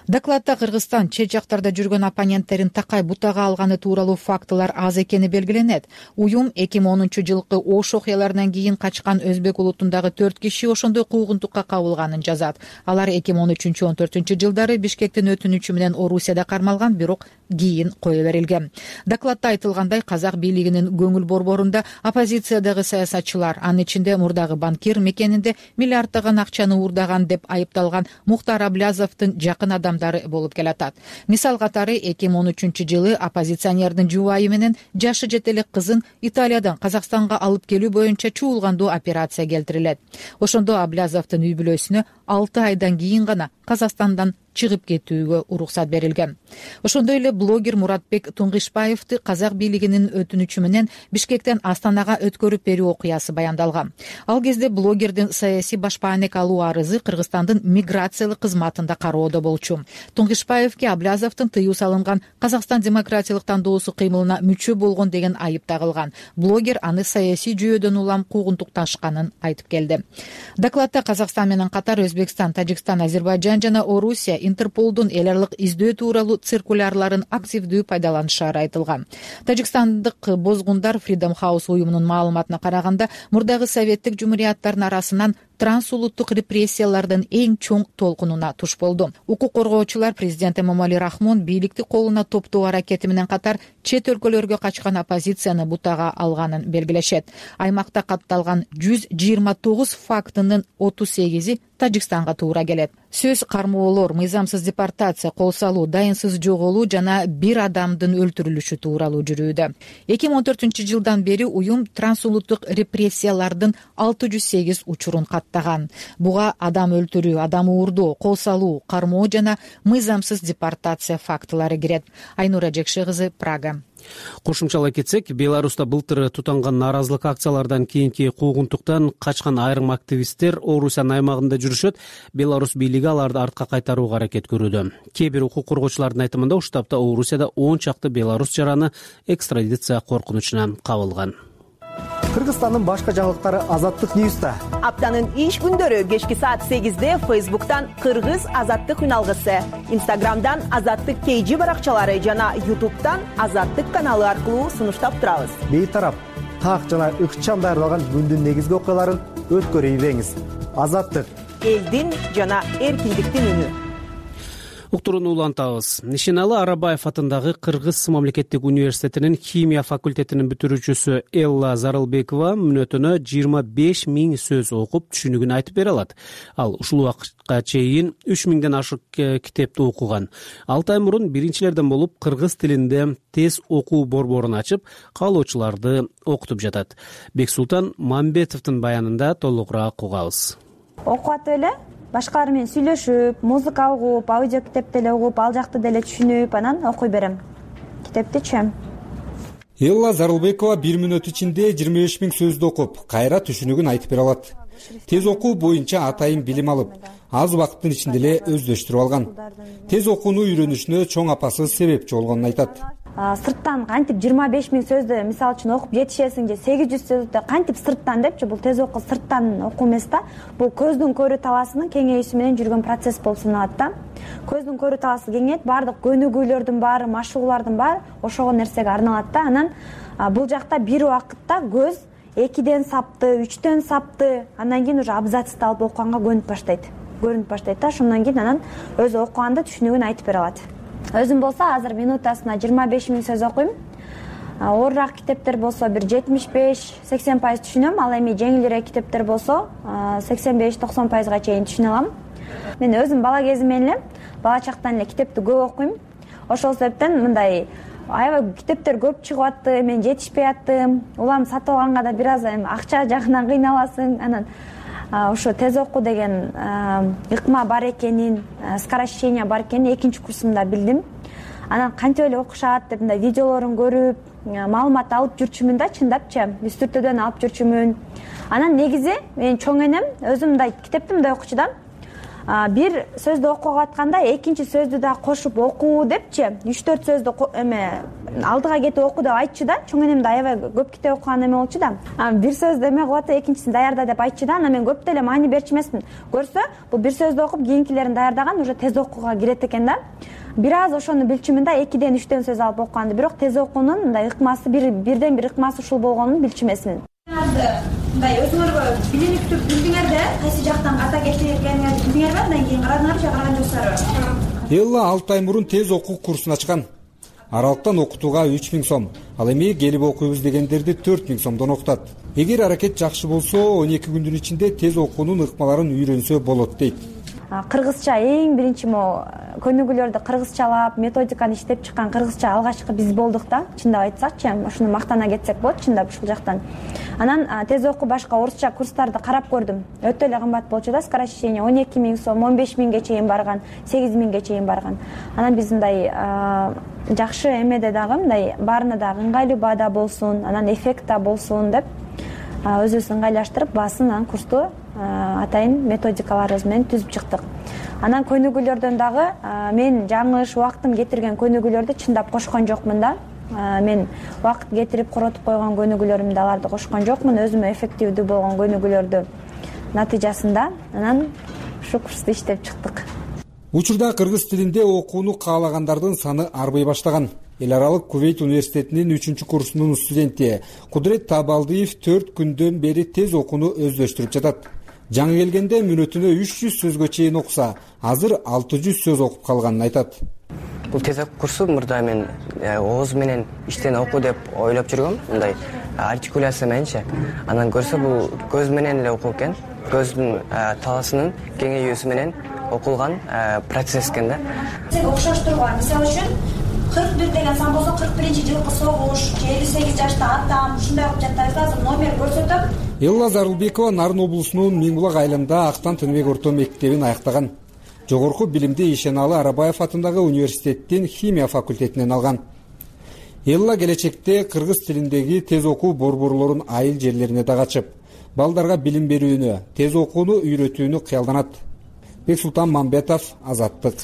Докладда Кыргызстан чет жактарда жүргөн оппоненттерин такай бутага алганы тууралуу фактылар аз экени белгиленет. Уюм эки миң онунчу жылкы Ош окуяларынан кийин качкан өзбек улутундагы төрт киши ошондой куугунтукка кабылганын жазат. Алар эки миң он үчүнчү он төртүнчү жылдары Бишкектин өтүнүчү менен Орусияда кармалган, бирок кийин кое берилген. Докладда айтылгандай, казак бийлигинин көңүл борборунда оппозициядагы саясатчылар, анын ичинде мурдагы банкир мекенинде миллиарддаган акчаны уурдаган деп айыпталган Мухтар Аблязовдун жакын адам болуп келатат. Мисал катары эки миң он үчүнчү жылы оппозиционердин жубайы менен жашы жете элек кызын Италиядан Казакстанга алып келүү боюнча чуулгандуу операция келтирилет. Ошондо Аблязовдун үй бүлөсүнө алты айдан кийин гана Казакстандан чыгып кетүүгө уруксат берилген. Ошондой эле блогер Муратбек Туңгышбаевди казак бийлигинин өтүнүчү менен Бишкектен Астанага өткөрүп берүү окуясы баяндалган. Ал кезде блогердин саясий башпаанек алуу арызы Кыргызстандын миграциялык кызматында кароодо болчу. Туңгышбаевге Аблязовдун тыюу салынган Казакстан демократиялык тандоосу кыймылына мүчө болгон деген айып тагылган. Блогер аны саясий жүйөдөн улам куугунтукташканын айтып келди. Докладда Казакстан менен катар Өзбекстан, Тажикстан, Азербайжан жана Орусия Интерполдун эл аралык издөө тууралуу циркулярларын активдүү пайдаланышары айтылган. Тажикстандык бозгундар Freedom House уюмунун маалыматына караганда, мурдагы советтик жумурияттардын арасынан трансулуттук репрессиялардын эң чоң толкунуна туш болду. Укук коргоочулар президент Эмомали Рахмон бийликти колуна топтоо аракети менен катар чет өлкөлөргө качкан оппозицияны бутага алганын белгилешет. Аймакта катталган жүз жыйырма тогуз фактынын отуз сегизи Тажикстанга туура келет. Сөз кармоолор, мыйзамсыз депортация, кол салуу, дайынсыз жоголуу жана бир адамдын өлтүрүлүшү тууралуу жүрүүдө. эки миң он төртүнчү жылдан бери уюм трансулуттук репрессиялардын алты жүз сегиз учурун каттаган. Буга адам өлтүрүү, адам уурдоо, кол салуу, кармоо жана мыйзамсыз депортация фактылары кирет. Айнура Жекше кызы, Прага. Кошумчалай кетсек, Беларуста былтыр тутанган нааразылык акциялардан кийинки куугунтуктан качкан айрым активисттер Орусиянын аймагында жүрүшөт. Беларус бийлиги аларды артка кайтарууга аракет көрүүдө. Кээ бир укук коргоочулардын айтымында ушул тапта Орусияда он чакты беларус жараны экстрадиция коркунучуна кабылган. Кыргызстандын башка жаңылыктары Азаттык Ньюста. Аптанын иш күндөрү кечки саат сегизде Фейсбуктан Кыргыз Азаттык үналгысы, Инстаграмдан Азаттык Кейжи баракчалары жана Ютубтан Азаттык каналы аркылуу сунуштап турабыз. Бейтарап, так жана ыкчам даярдалган күндүн негизги окуяларын өткөрүп ийбеңиз. Азаттык — элдин жана эркиндиктин үнү. Уктурууну улантабыз. Нишеналы Арабаев атындагы Кыргыз мамлекеттик университетинин химия факультетинин бүтүрүүчүсү Элла Зарылбекова мүнөтүнө жыйырма беш миң сөз окуп, түшүнүгүн айтып бере алат. Ал ушул убакытка чейин үч миңден ашык китепти окуган. алты ай мурун биринчилерден болуп кыргыз тилинде тез окуу борборун ачып, каалоочуларды окутуп жатат. Бексултан Мамбетовдун баянында толугураак угабыз. Окуп атып эле башкалар менен сүйлөшүп, музыка угуп, аудио китеп деле угуп, ал жакты деле түшүнүп, анан окуй берем. Китепти түшөм. Элла Зарылбекова бир мүнөт ичинде жыйырма беш миң сөздү окуп, кайра түшүнүгүн айтып бере алат. Тез окуу боюнча атайын билим алып, аз убакыттын ичинде эле өздөштүрүп алган. Тез окууну үйрөнүшүнө чоң апасы себепчи болгонун айтат. Сырттан кантип жыйырма беш миң сөздү мисалы үчүн окуп жетишесиң же сегиз жүз сөздү кантип сырттан депчи, бул тез окуу сырттан окуу эмес да. Бул көздүн көрүү талаасынын кеңейүүсү менен жүргөн процесс болуп саналат да. Көздүн көрүү талаасы кеңейет, баардык көнүгүүлөрдүн баары, машыгуулардын баары ошого нерсеге арналат да. Анан бул жакта бир убакытта көз экиден сапты, үчтөн сапты, андан кийин уже абзацты алып окуганга көнүп баштайт. Көрүнүп баштайт да. Ошондон кийин анан өзү окуганды түшүнүгүн айтып бере алат. Өзүм болсо азыр минутасына жыйырма беш миң сөз окуйм. Оорураак китептер болсо бир жетимиш беш сексен пайыз түшүнөм, ал эми жеңилирээк китептер болсо сексен беш токсон пайызга чейин түшүнө алам. Мен өзүм бала кезимден эле, бала чактан эле китепти көп окуйм. Ошол себептен мындай аябай китептер көп чыгып атты, мен жетишпей аттым. Улам сатып алганга да бир аз эми акча жагынан кыйналасың. Анан ошо тез окуу деген ыкма бар экенин, скорочтение бар экенин экинчи курсумда билдим. Анан кантип эле окушат деп мындай видеолорун көрүп, маалымат алып жүрчүмүн да, чындапчы, үстүртөдөн алып жүрчүмүн. Анан негизи мен чоң энем өзүм мындай китепти мындай окучу да. Бир сөздү окуп атканда экинчи сөздү да кошуп окуу депчи, үч төрт сөздү эме алдыга кетип оку деп айтчу да. Чоң энем да аябай көп китеп окуган эме болчу да. Бир сөздү эме кылып атып, экинчисин даярда деп айтчу да. Анан мен көп деле маани берчү эмесмин. Көрсө, бул бир сөздү окуп, кийинкилерин даярдаган, уже тез окууга кирет экен да. Бир аз ошону билчүмүн да, экиден үчтөн сөз алып окуганды. Бирок тез окуунун мындай ыкмасы бир бирден бир ыкмасы ушул болгонун билчү эмесмин. Мындай өзүңөргө билинип туруп билдиңер да, кайсы жактан ката кетиргениңерди билдиңерби, андан кийин карадыңарбы же караган жоксуздарбы? Элла алты ай мурун тез окуу курсун ачкан. Аралыктан окутууга үч миң сом, ал эми келип окуйбуз дегендерди төрт миң сомдон окутат. Эгер аракет жакшы болсо, он эки күндүн ичинде тез окуунун ыкмаларын үйрөнсө болот дейт. Кыргызча эң биринчи могу көнүгүүлөрдү кыргызчалап, методиканы иштеп чыккан кыргызча алгачкы биз болдук да. Чындап айтсакчы, ошону мактана кетсек болот, чындап ушул жактан. Анан тез окуу башка орусча курстарды карап көрдүм. Өтө эле кымбат болчу да, скорочтение он эки миң сом, он беш миңге чейин барган, сегиз миңге чейин барган. Анан биз мындай жакшы эмеде дагы мындай баарына дагы ыңгайлуу баада болсун, анан эффект да болсун деп өзүбүз ыңгайлаштырып, баасын анан курсту атайын методикаларыбыз менен түзүп чыктык. Анан көнүгүүлөрдөн дагы мен жаңылыш убактым кетирген көнүгүүлөрдү чындап кошкон жокмун да. Мен убакыт кетирип коротуп койгон көнүгүүлөрүмдү аларды кошкон жокмун, өзүмө эффективдүү болгон көнүгүүлөрдү натыйжасында анан ушу курсту иштеп чыктык. Учурда кыргыз тилинде окууну каалагандардын саны арбый баштаган. Эл аралык Кувейт университетинин үчүнчү курсунун студенти Кудрет Табалдиев төрт күндөн бери тез окууну өздөштүрүп жатат. Жаңы келгенде мүнөтүнө үч жүз сөзгө чейин окуса, азыр алты жүз сөз окуп калганын айтат. Бул тез окуу курсу мурда мен ооз менен иштен окуу деп ойлоп жүргөм, мындай артикуляция мененчи. Анан көрсө бул көз менен эле окуу экен. Көздүн талаасынын кеңейүүсү менен окулган процесс экен да. Окшоштурган, мисалы үчүн кырк бир деген сан болсо кырк биринчи жылкы согуш, элүү сегиз жашта атам, ушундай окуп жаттайбыз. Азыр номер көрсөтөм. Элла Зарылбекова Нарын облусунун Миң булак айылында Актан Тыныбек орто мектебин аяктаган. Жогорку билимди Ишеналы Арабаев атындагы университеттин химия факультетинен алган. Элла келечекте кыргыз тилиндеги тез окуу борборлорун айыл жерлерине дагы ачып, балдарга билим берүүнү, тез окууну үйрөтүүнү кыялданат. Бексултан Мамбетов, Азаттык.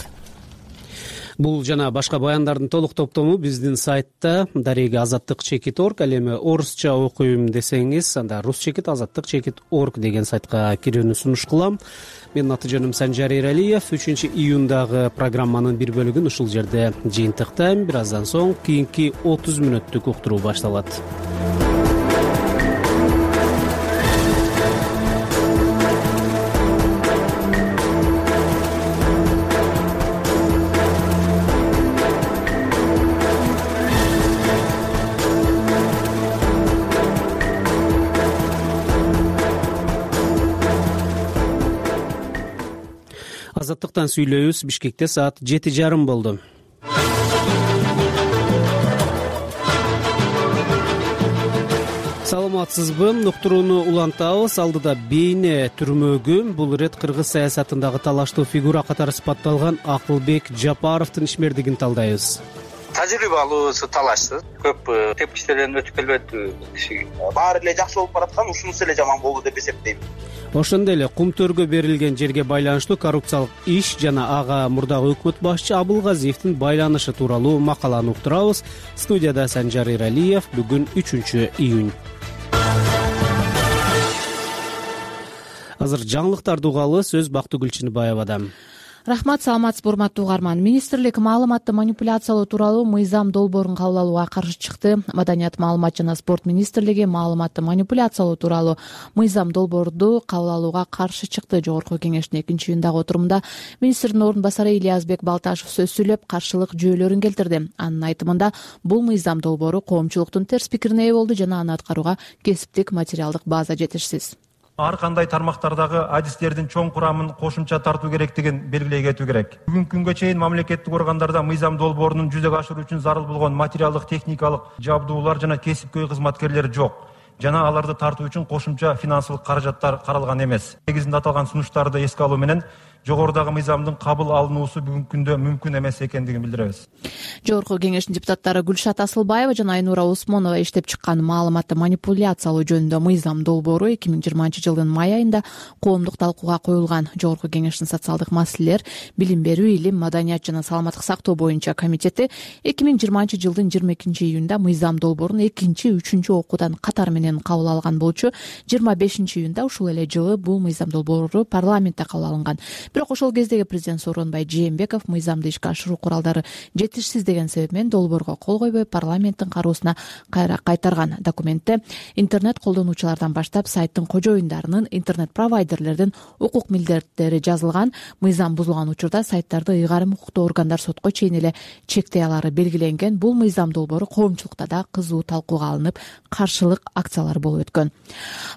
Бул жана башка баяндардын толук топтому биздин сайтта дареги азаттык чекит орг, ал эми орусча окуйм десеңиз анда рус чекит азаттык чекит орг деген сайтка кирүүнү сунуш кылам. Менин аты жөнүм Санжар Эралиев. үчүнчү июндагы программанын бир бөлүгүн ушул жерде жыйынтыктайм. Бир аздан соң кийинки отуз мүнөттүк уктуруу башталат. Азаттыктан сүйлөйбүз. Бишкекте саат жети жарым болду. Саламатсызбы? Уктурууну улантабыз. Алдыда бейне түрмөгү. Бул ирет кыргыз саясатындагы талаштуу фигура катары сыпатталган Акылбек Жапаровдун ишмердигин талдайбыз. Тажрыйбалуусу талашсыз, көп тепкичтерден өтүп келбеди киши. Баары эле жакшы болуп бараткан, ушунусу эле жаман болду деп эсептейм. Ошондой эле кумтөргө берилген жерге байланыштуу коррупциялык иш жана ага мурдагы өкмөт башчы Абылгазиевдин байланышы тууралуу макаланы уктурабыз. Студияда Санжар Эралиев. Бүгүн үчүнчү июнь. Азыр жаңылыктарды угалы. Сөз Бактыгүл Чыныбаевада. Рахмат, саламатсызбы урматтуу угарман. Министрлик маалыматты манипуляциялоо тууралуу мыйзам долбоорун кабыл алууга каршы чыкты. Маданият, маалымат жана спорт министрлиги маалыматты манипуляциялоо тууралуу мыйзам долбоорду кабыл алууга каршы чыкты. Жогорку кеңештин экинчи июндагы отурумда министрдин орун басары Ильязбек Балташев сөз сүйлөп, каршылык жүйөлөрүн келтирди. Анын айтымында бул мыйзам долбоору коомчулуктун терс пикирине ээ болду жана аны аткарууга кесиптик материалдык база жетишсиз. Ар кандай тармактардагы адистердин чоң курамын кошумча тартуу керектигин белгилей кетүү керек. Бүгүнкү күнгө чейин мамлекеттик органдарда мыйзам долбоорунун жүзөгө ашыруу үчүн зарыл болгон материалдык, техникалык жабдуулар жана кесипкөй кызматкерлер жок. Жана аларды тартуу үчүн кошумча финансылык каражаттар каралган эмес. Негизинде аталган сунуштарды эске алуу менен жогорудагы мыйзамдын кабыл алынуусу бүгүнкү күндө мүмкүн эмес экендигин билдиребиз. Жогорку кеңештин депутаттары Гүлшат Асылбаева жана Айнура Усмонова иштеп чыккан маалыматты манипуляциялоо жөнүндө мыйзам долбоору эки миң жыйырманчы жылдын май айында коомдук талкууга коюлган. Жогорку кеңештин социалдык маселелер, билим берүү, илим, маданият жана саламаттык сактоо боюнча комитети эки миң жыйырманчы жылдын жыйырма экинчи июнда мыйзам долбоорун экинчи, үчүнчү окуудан катар менен кабыл алган болчу. жыйырма бешинчи июнда ушул эле жылы бул мыйзам долбоору парламентте кабыл алынган. Бирок ошол кездеги президент Сооронбай Жээнбеков мыйзамды ишке ашыруу куралдары жетишсиз деген себеп менен долбоорго кол койбой парламенттин кароосуна кайра кайтарган. Документте интернет колдонуучулардан баштап сайттын кожоюндарынын, интернет провайдерлердин укук милдеттери жазылган. Мыйзам бузулган учурда сайттарды ыйгарым укуктуу органдар сотко чейин эле чектей алары белгиленген. Бул мыйзам долбоору коомчулукта да кызуу талкууга алынып, каршылык акциялар болуп өткөн.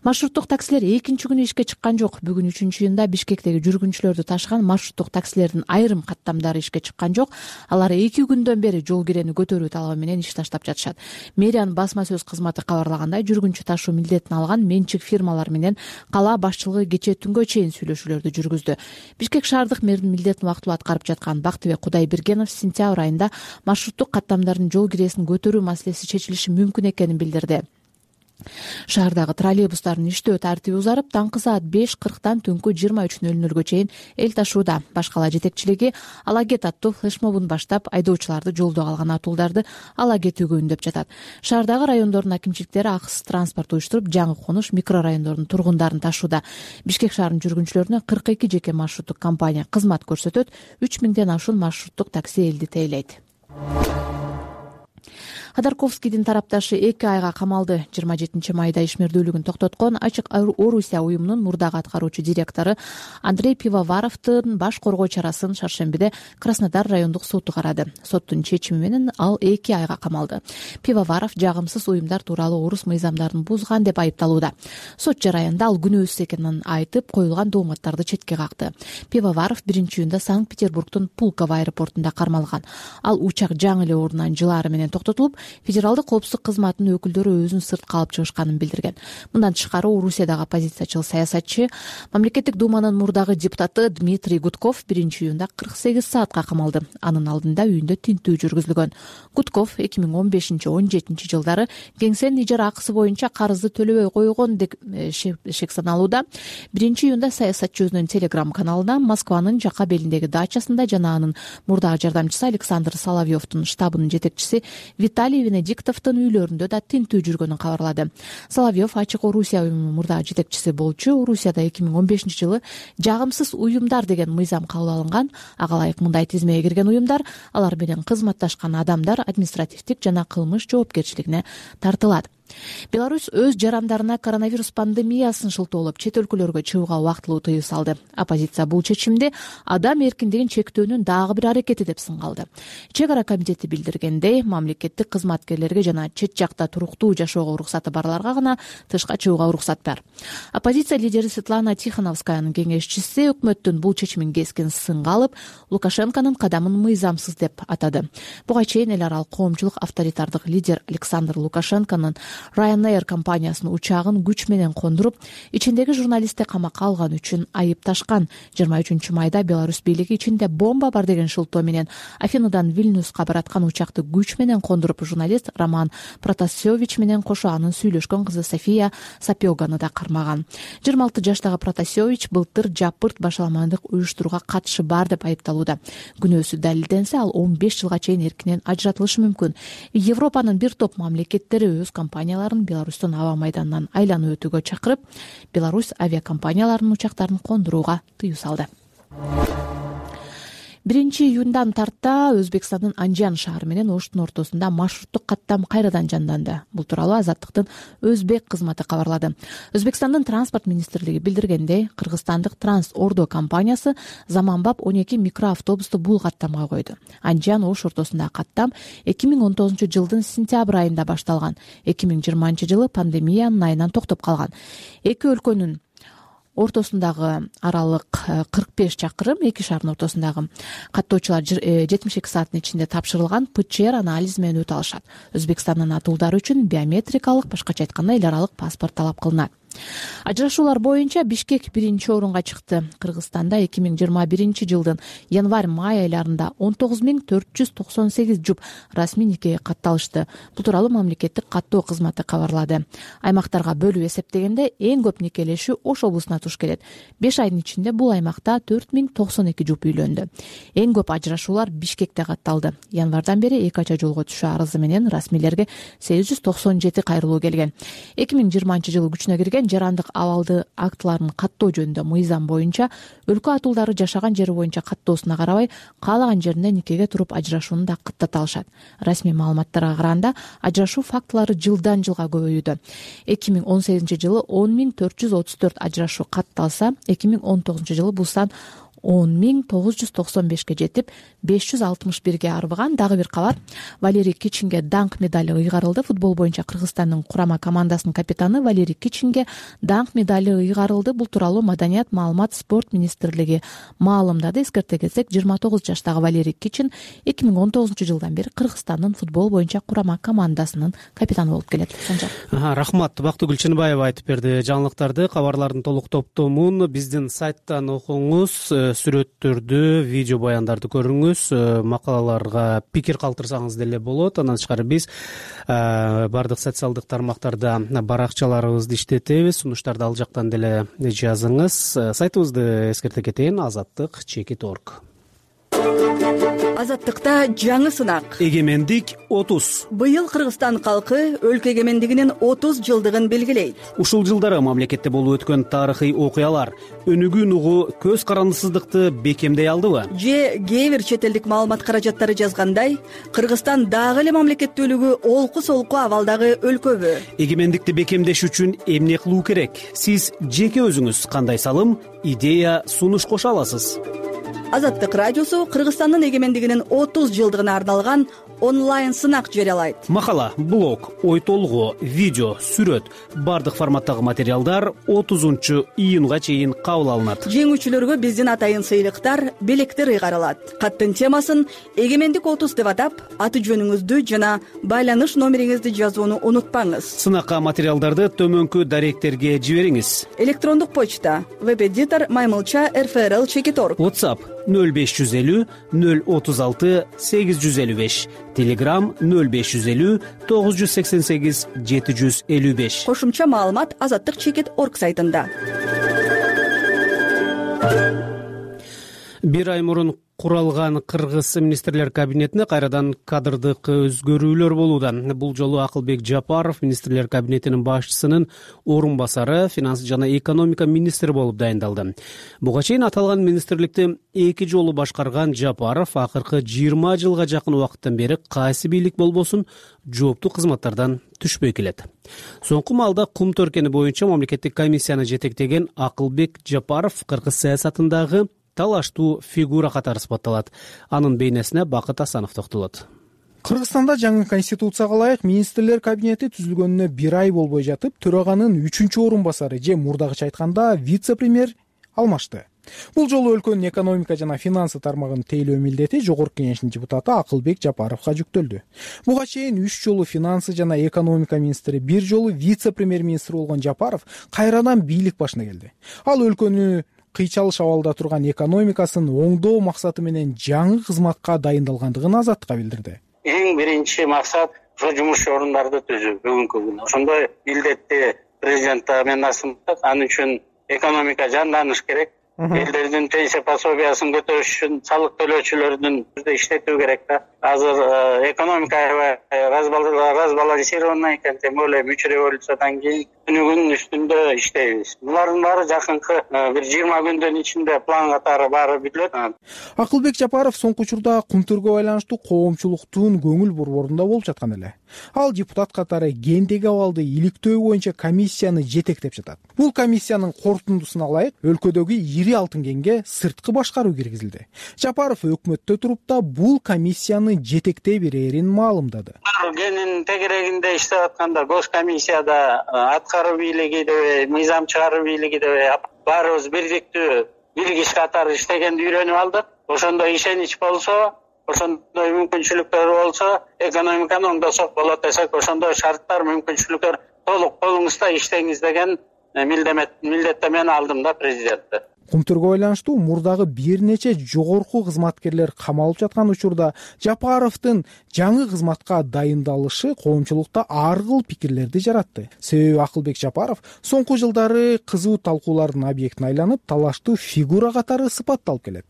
Маршруттук таксилер экинчи күнү ишке чыккан жок. Бүгүн үчүнчү июнда Бишкектеги жүргүнчүлөрдү ташыган маршруттук таксилердин айрым каттамдары ишке чыккан жок. Алар эки күндөн бери жол кирени көтөрүү талабы менен иш таштап жатышат. Мэриянын басма сөз кызматы кабарлагандай, жүргүнчү ташуу милдетин алган менчик фирмалар менен кала башчылыгы кечээ түнгө чейин сүйлөшүүлөрдү жүргүздү. Бишкек шаардык мэрдин милдетин убактылуу аткарып жаткан Бактыбек Кудайбергенов сентябрь айында маршруттук каттамдардын жол киресин көтөрүү маселеси чечилиши мүмкүн экенин билдирди. Шаардагы троллейбустардын иштөө тартиби узарып, таңкы саат беш кырктан түнкү жыйырма үч нөл нөлгө чейин эл ташууда. Башкала жетекчилиги ала кет аттуу флешмобун баштап, айдоочуларды жолдо калган атуулдарды ала кетүүгө үндөп жатат. Шаардагы райондордун акимчиликтери акысыз транспорт уюштуруп, жаңы конуш микрорайондордун тургундарын ташууда. Бишкек шаарынын жүргүнчүлөрүнө кырк эки жеке маршруттук компания кызмат көрсөтөт. үч миңден ашуун маршруттук такси элди тейлейт. Ходорковскийдин тарапташы эки айга камалды. жыйырма жетинчи майда ишмердүүлүгүн токтоткон Ачык Орусия уюмунун мурдагы аткаруучу директору Андрей Пивоваровдун баш коргоо чарасын шаршембиде Краснодар райондук соту карады. Соттун чечими менен ал эки айга камалды. Пивоваров жагымсыз уюмдар тууралуу орус мыйзамдарын бузган деп айыпталууда. Сот жараянда ал күнөөсүз экенин айтып, коюлган дооматтарды четке какты. Пивоваров биринчи июнда Санкт-Петербургдун Пулково аэропортунда кармалган. Ал учак жаңы эле ордунан жылаары менен токтотулуп, федералдык коопсуздук кызматынын өкүлдөрү өзүн сыртка алып чыгышканын билдирген. Мындан тышкары Орусиядагы оппозициячыл саясатчы, мамлекеттик думанын мурдагы депутаты Дмитрий Гудков биринчи июнда кырк сегиз саатка камалды. Анын алдында үйүндө тинтүү жүргүзүлгөн. Гудков эки миң он бешинчи он жетинчи жылдары кеңсенин ижара акысы боюнча карызды төлөбөй койгон деп шек саналууда. биринчи июнда саясатчы өзүнүн телеграм каналына Москванын жака белиндеги дачасында жана анын мурдагы жардамчысы Александр Соловьевдун штабынын жетекчиси Виталий Венедиктовдун үйлөрүндө да тинтүү жүргөнүн кабарлады. Соловьев Ачык Орусия уюмунун мурдагы жетекчиси болчу. Орусияда эки миң он бешинчи жылы жагымсыз уюмдар деген мыйзам кабыл алынган. Ага ылайык мындай тизмеге кирген уюмдар, алар менен кызматташкан адамдар административдик жана кылмыш жоопкерчилигине тартылат. Беларусь өз жарандарына коронавирус пандемиясын шылтоолоп чет өлкөлөргө чыгууга убактылуу тыюу салды. Оппозиция бул чечимди адам эркиндигин чектөөнүн дагы бир аракети деп сынгалды. Чек ара комитети билдиргендей, мамлекеттик кызматкерлерге жана чет жакта туруктуу жашоого уруксаты барларга гана тышка чыгууга уруксат бар. Оппозиция лидери Светлана Тихановскаянын кеңешчиси өкмөттүн бул чечимин кескин сынга алып, Лукашенконун кадамын мыйзамсыз деп атады. Буга чейин эл аралык коомчулук авторитардык лидер Александр Лукашенконун Ryanair компаниясынын учагын күч менен кондуруп, ичиндеги журналистти камакка алган үчүн айыпташкан. жыйырма үчүнчү майда Беларусь бийлиги ичинде бомба бар деген шылтоо менен Афинадан Вильнюска бараткан учакты күч менен кондуруп, журналист Роман Протасевич менен кошо анын сүйлөшкөн кызы София Сапиоганы да кармаган. жыйырма алты жаштагы Протасевич былтыр жапырт башаламандык уюштурууга катышы бар деп айыпталууда. Күнөөсү далилденсе, ал он беш жылга чейин эркинен ажыратылышы мүмкүн. Европанын бир топ мамлекеттери өз компанияларын Беларустун аба майданынан айланып өтүүгө чакырып, Беларусь авиакомпанияларынын учактарын кондурууга тыюу салды. биринчи июндан тарта Өзбекстандын Анжан шаары менен Оштун ортосунда маршруттук каттам кайрадан жанданды. Бул тууралуу Азаттыктын Өзбек кызматы кабарлады. Өзбекстандын транспорт министрлиги билдиргендей, кыргызстандык Транс Ордо компаниясы заманбап он эки микроавтобусту бул каттамга койду. Анжан Ош ортосундагы каттам эки миң он тогузунчу жылдын сентябрь айында башталган. эки миң жыйырманчы жылы пандемиянын айынан токтоп калган. Эки өлкөнүн ортосундагы аралык кырк беш чакырым, эки шаардын ортосундагы каттоочулар жетимиш эки сааттын ичинде тапшырылган ПЧР анализи менен өтө алышат. Өзбекстандын атуулдары үчүн биометрикалык, башкача айтканда эл аралык паспорт талап кылынат. Ажырашуулар боюнча Бишкек биринчи орунга чыкты. Кыргызстанда эки миң жыйырма биринчи жылдын январь-май айларында он тогуз миң төрт жүз токсон сегиз жуп расмий никеге катталышты. Бул тууралуу мамлекеттик каттоо кызматы кабарлады. Аймактарга бөлүп эсептегенде эң көп никелешүү Ош облусуна туш келет. беш айдын ичинде бул аймакта төрт миң токсон эки жуп үйлөндү. Эң көп ажырашуулар Бишкекте катталды. Январдан бери эки ача жолго түшүү арызы менен расмийлерге сегиз жүз токсон жети кайрылуу келген. эки миң жыйырманчы жылы күчүнө кирген жарандык абалды актыларын каттоо жөнүндө мыйзам боюнча өлкө атуулдары жашаган жери боюнча каттоосуна карабай каалаган жеринде никеге туруп ажырашууну да кыттата алышат. Расмий маалыматтарга караганда ажырашуу фактылары жылдан жылга көбөйүүдө. эки миң он сегизинчи жылы он миң төрт жүз отуз төрт ажырашуу катталса, эки миң он тогузунчу жылы бул сан он миң тогуз жүз токсон бешке жетип, беш жүз алтымыш бирге арбыган. Дагы бир кабар. Валерий Кичинге даңк медали ыйгарылды. Футбол боюнча Кыргызстандын курама командасынын капитаны Валерий Кичинге даңк медали ыйгарылды. Бул тууралуу Маданият, маалымат, спорт министрлиги маалымдады. Эскерте кетсек, жыйырма тогуз жаштагы Валерий Кичин эки миң он тогузунчу жылдан бери Кыргызстандын футбол боюнча курама командасынын капитаны болуп келет. Рахмат. Бактыгүл Чыныбаева айтып берди жаңылыктарды. Кабарлардын толук топтомун биздин сайттан окуңуз. Сүрөттөрдү, видео баяндарды көрүңүз, макалаларга пикир калтырсаңыз деле болот. Андан тышкары биз бардык социалдык тармактарда баракчаларыбызды иштетебиз. Сунуштарды ал жактан деле жазыңыз. Сайтыбызды эскерте кетейин: азаттык чекит точка орг. Азаттыкта жаңы сынак. Эгемендик отуз. Быйыл Кыргызстан калкы өлкө эгемендигинин отуз жылдыгын белгилейт. Ушул жылдары мамлекетте болуп өткөн тарыхый окуялар өнүгүүн угу көз карандысыздыкты бекемдей алдыбы? Же кээ бир чет элдик маалымат каражаттары жазгандай, Кыргызстан дагы эле мамлекеттүүлүгү олку-солку абалдагы өлкөбү? Эгемендикти бекемдеш үчүн эмне кылуу керек? Сиз жеке өзүңүз кандай салым, идея, сунуш кошо аласыз? Азаттык радиосу Кыргызстандын эгемендигинин отуз жылдыгына арналган онлайн сынак жарыялайт. Макала, блог, ой толгоо, видео, сүрөт бардык форматтагы материалдар отузунчу июнга чейин кабыл алынат. Жеңүүчүлөргө биздин атайын сыйлыктар, белектер ыйгарылат. Каттын темасын эгемендик отуз деп атап, аты жөнүңүздү жана байланыш номериңизди жазууну унутпаңыз. Сынакка материалдарды төмөнкү даректерге жибериңиз. Электрондук почта веб-эдитор маймылча эр эф эр эл чекит орг. WhatsApp нөл беш жүз элүү нөл отуз алты сегиз жүз элүү беш, Telegram нөл беш жүз элүү тогуз жүз сексен сегиз жети жүз элүү беш. Кошумча маалымат азаттык чекит орг сайтында. Бир ай мурун куралган Кыргыз министрлер кабинетине кайрадан кадрдык өзгөрүүлөр болууда. Бул жолу Акылбек Жапаров министрлер кабинетинин башчысынын орун басары, финанс жана экономика министри болуп дайындалды. Буга чейин аталган министрликти эки жолу башкарган Жапаров акыркы жыйырма жылга жакын убакыттан бери кайсы бийлик болбосун жооптуу кызматтардан түшпөй келет. Соңку маалда кум төркени боюнча мамлекеттик комиссияны жетектеген Акылбек Жапаров кыргыз саясатындагы талаштуу фигура катары сыпатталат. Анын бейнесине Бакыт Асанов токтолот. Кыргызстанда жаңы конституцияга ылайык министрлер кабинети түзүлгөнүнө бир ай болбой жатып, төраганын үчүнчү орун басары же мурдагыча айтканда вице-премьер алмашты. Бул жолу өлкөнүн экономика жана финансы тармагын тейлөө милдети жогорку кеңештин депутаты Акылбек Жапаровго жүктөлдү. Буга чейин үч жолу финансы жана экономика министри, бир жолу вице-премьер министр болгон Жапаров кайрадан бийлик башына келди. Ал өлкөнү кыйчалыш абалда турган экономикасын оңдоо максаты менен жаңы кызматка дайындалгандыгын Азаттыкка билдирди. Эң биринчи максат ошо жумуш орундарды түзүү бүгүнкү күндө. Ошондой милдетти президент мен асынат. Анын үчүн экономика жанданыш керек. Элдердин пенсия пособиясын көтөрүш үчүн салык төлөөчүлөрдүн иштетүү керек да. Азыр экономика разбалансирована экен, тем более үч революциядан кийин күнүгүн үстүндө иштейбиз. Булардын баары жакынкы бир жыйырма күндүн ичинде план катары баары бүтүлөт. Акылбек Жапаров соңку учурда кумтөргө байланыштуу коомчулуктун көңүл борборунда болуп жаткан эле. Ал депутат катары гендеги абалды иликтөө боюнча комиссияны жетектеп жатат. Бул комиссиянын корутундусуна ылайык өлкөдөгү ири алтын кенге сырткы башкаруу киргизилди. Жапаров өкмөттө туруп да бул комиссияны жетектей берерин маалымдады. Генин тегерегинде иштеп атканда госкомиссияда аткаруу бийлиги деп, мыйзам чыгаруу бийлиги деп баарыбыз бирдиктүү бир киши катары иштегенди үйрөнүп алдык. Ошондой ишенич болсо, ошондой мүмкүнчүлүктөр болсо, экономиканы оңдосок болот десек, ошондой шарттар, мүмкүнчүлүктөр толук колуңузда иштеңиз деген милдеттемени алдым да президенттен. Кумтөргө байланыштуу мурдагы бир нече жогорку кызматкерлер камалып жаткан учурда Жапаровдун жаңы кызматка дайындалышы коомчулукта ар кыл пикирлерди жаратты. Себеби Акылбек Жапаров соңку жылдары кызуу талкуулардын объектине айланып, талаштуу фигура катары сыпатталып келет.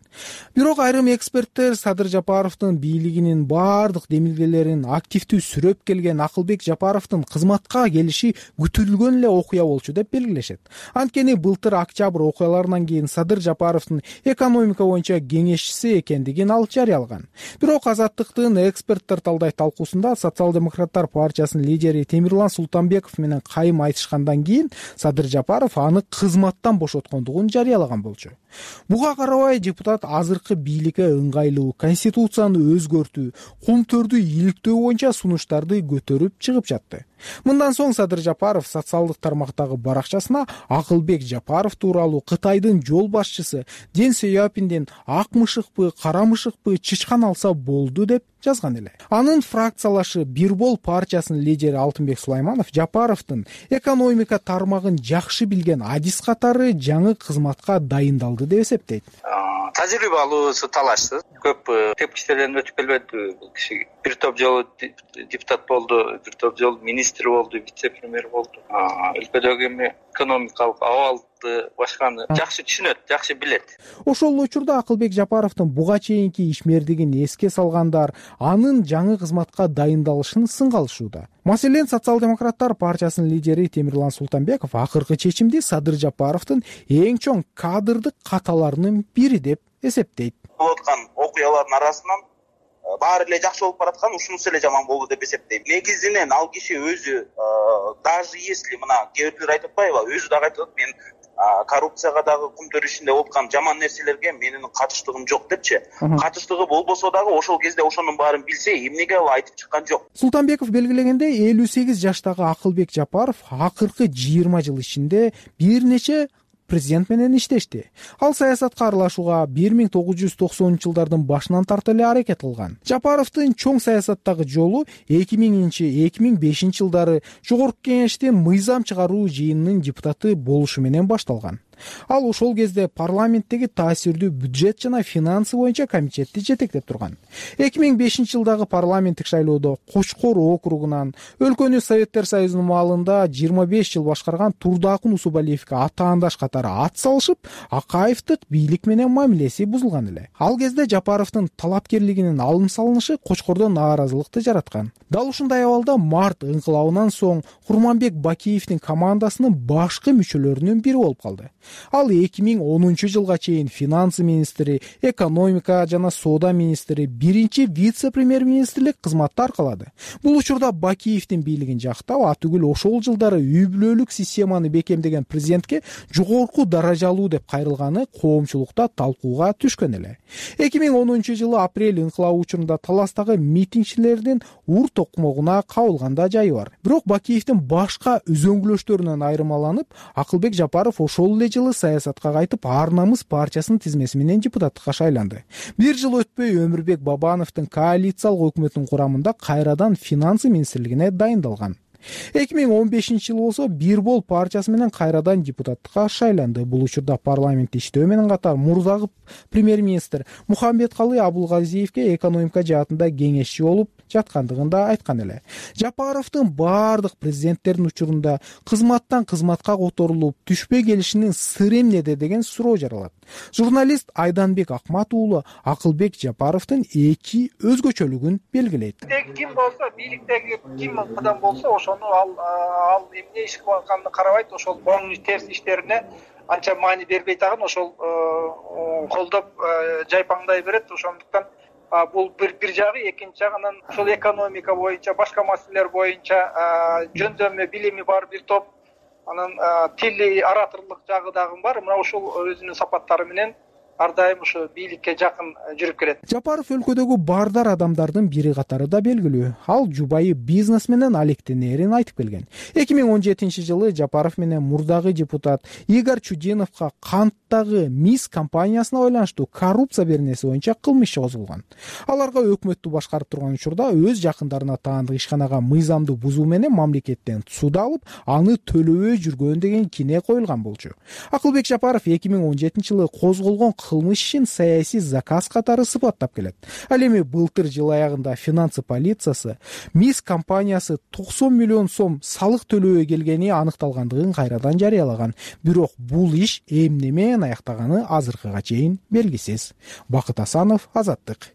Бирок айрым эксперттер Садыр Жапаровдун бийлигинин баардык демилгелерин активдүү сүрөп келген Акылбек Жапаровдун кызматка келиши күтүлгөн эле окуя болчу деп белгилешет. Анткени былтыр октябрь окуяларынан кийин Садыр Жапаровдун экономика боюнча кеңешчиси экендигин ал жарыялаган. Бирок Азаттыктын эксперттер талдай талкуусунда Социал-демократтар партиясынын лидери Темирлан Султанбеков менен кайым айтышкандан кийин Садыр Жапаров аны кызматтан бошоткондугун жарыялаган болчу. Буга карабай депутат азыркы бийликке ыңгайлуу конституцияны өзгөртүү, кумтөрдү иликтөө боюнча сунуштарды көтөрүп чыгып жатты. Мындан соң Садыр Жапаров социалдык тармактагы баракчасына Акылбек Жапаров тууралуу Кытайдын жол башчысы Ден Сяопинден ак мышыкпы, кара мышыкпы чычкан алса болду деп жазган эле. Анын фракциялашы Бирбол партиясынын лидери Алтынбек Сулайманов Жапаровдун экономика тармагын жакшы билген адис катары жаңы кызматка дайындалды деп эсептейт. Тажрыйбалуусу талашсыз. Көп тепкичтерден өтүп келбеди бул киши. Бир топ жолу депутат болду, бир топ жолу министр болду, вице-премьер болду. Өлкөдөгү эми экономикалык абалды башканы жакшы түшүнөт, жакшы билет. Ошол учурда Акылбек Жапаровдун буга чейинки ишмердигин эске салгандар анын жаңы кызматка дайындалышын сынга алышууда. Маселен, Социал-демократтар партиясынын лидери Темирлан Султанбеков акыркы чечимди Садыр Жапаровдун эң чоң кадрдык каталарынын бири деп эсептейт. Болуп аткан окуялардын арасынан баары эле жакшы болуп бараткан, ушунусу эле жаман болду деп эсептейм. Негизинен ал киши өзү даже если мына кээ бирөөлөр айтып атпайбы, өзү дагы айтып атат, мен коррупцияга дагы кумтөр ишинде болуп аткан жаман нерселерге менин катыштыгым жок депчи. Катыштыгы болбосо дагы ошол кезде ошонун баарын билсе эмнеге ал айтып чыккан жок. Султанбеков белгилегендей, элүү сегиз жаштагы Акылбек Жапаров акыркы жыйырма жыл ичинде бир нече президент менен иштешти. Ал саясатка аралашууга бир миң тогуз жүз токсонунчу жылдардын башынан тарта эле аракет кылган. Жапаровдун чоң саясаттагы жолу эки миңинчи эки миң бешинчи жылдары Жогорку Кеңештин мыйзам чыгаруу жыйынынын депутаты болушу менен башталган. Ал ошол кезде парламенттеги таасирдүү бюджет жана финансы боюнча комитетти жетектеп турган. эки миң бешинчи жылдагы парламенттик шайлоодо Кочкор округунан өлкөнү Советтер Союзунун маалында жыйырма беш жыл башкарган Турдакун Усубалиевке атаандаш катары ат салышып, Акаевдик бийлик менен мамилеси бузулган эле. Ал кезде Жапаровдун талапкерлигинин алым салынышы Кочкордо нааразылыкты жараткан. Дал ушундай абалда март ыңкылабынан соң Курманбек Бакиевдин командасынын башкы мүчөлөрүнүн бири болуп калды. Ал эки миң онунчу жылга чейин финансы министри, экономика жана соода министри, биринчи вице-премьер-министрлик кызматты аркалады. Бул учурда Бакиевдин бийлигин жактап, атүгүл ошол жылдары үй бүлөлүк системаны бекемдеген президентке жогорку даражалуу деп кайрылганы коомчулукта талкууга түшкөн эле. эки миң онунчу жылы апрель ыңкылабы учурунда таластагы митингчилердин ур токмогуна кабылган да жайы бар. Бирок Бакиевдин башка үзөңгүлөштөрүнөн айырмаланып, Акылбек Жапаров ошол эле жылы саясатка кайтып, Ар намыс партиясынын тизмеси менен депутаттыкка шайланды. Бир жыл өтпөй Өмүрбек Бабановдун коалициялык өкмөтүнүн курамында кайрадан финансы министрлигине дайындалган. эки миң он бешинчи жылы болсо Бир бол партиясы менен кайрадан депутаттыкка шайланды. Бул учурда парламентте иштөө менен катар мурдагы премьер-министр Мухамбеткалый Абулгазиевке экономика жаатында кеңешчи болуп жаткандыгын да айткан эле. Жапаровдун баардык президенттердин учурунда кызматтан кызматка которулуп, түшпөй келишинин сыры эмнеде деген суроо жаралат. Журналист Айданбек Акмат уулу Акылбек Жапаровдун эки өзгөчөлүгүн белгилейт. Ким болсо, бийликтеги ким адам болсо, ошону ал ал эмне иш кылып атканын карабайт, ошол оң терс иштерине анча маани бербей тагын ошол колдоп жайпаңдай берет. Ошондуктан бул бир бир жагы, экинчи жагынан ошол экономика боюнча, башка маселелер боюнча жөндөмү, билими бар бир топ, анан тили, ораторлук жагы дагы бар. Мына ошол өзүнүн сапаттары менен ар дайым ушу бийликке жакын жүрүп келет. Жапаров өлкөдөгү бардар адамдардын бири катары да белгилүү. Ал жубайы бизнес менен алектенерин айтып келген. эки миң он жетинчи жылы Жапаров менен мурдагы депутат Игорь Чудиновго канттагы МИС компаниясына байланыштуу коррупция беренеси боюнча кылмыш иши козголгон. Аларга өкмөттү башкарып турган учурда өз жакындарына таандык ишканага мыйзамды бузуу менен мамлекеттен суда алып, аны төлөбөй жүргөн деген кине коюлган болчу. Акылбек Жапаров эки миң он жетинчи жылы козголгон кылмыш ишин саясий заказ катары сыпаттап келет. Ал эми былтыр жыл аягында финансы полициясы МИС компаниясы токсон миллион сом салык төлөбөй келгени аныкталгандыгын кайрадан жарыялаган. Бирок бул иш эмне менен аяктаганы азыркыга чейин белгисиз. Бакыт Асанов, Азаттык.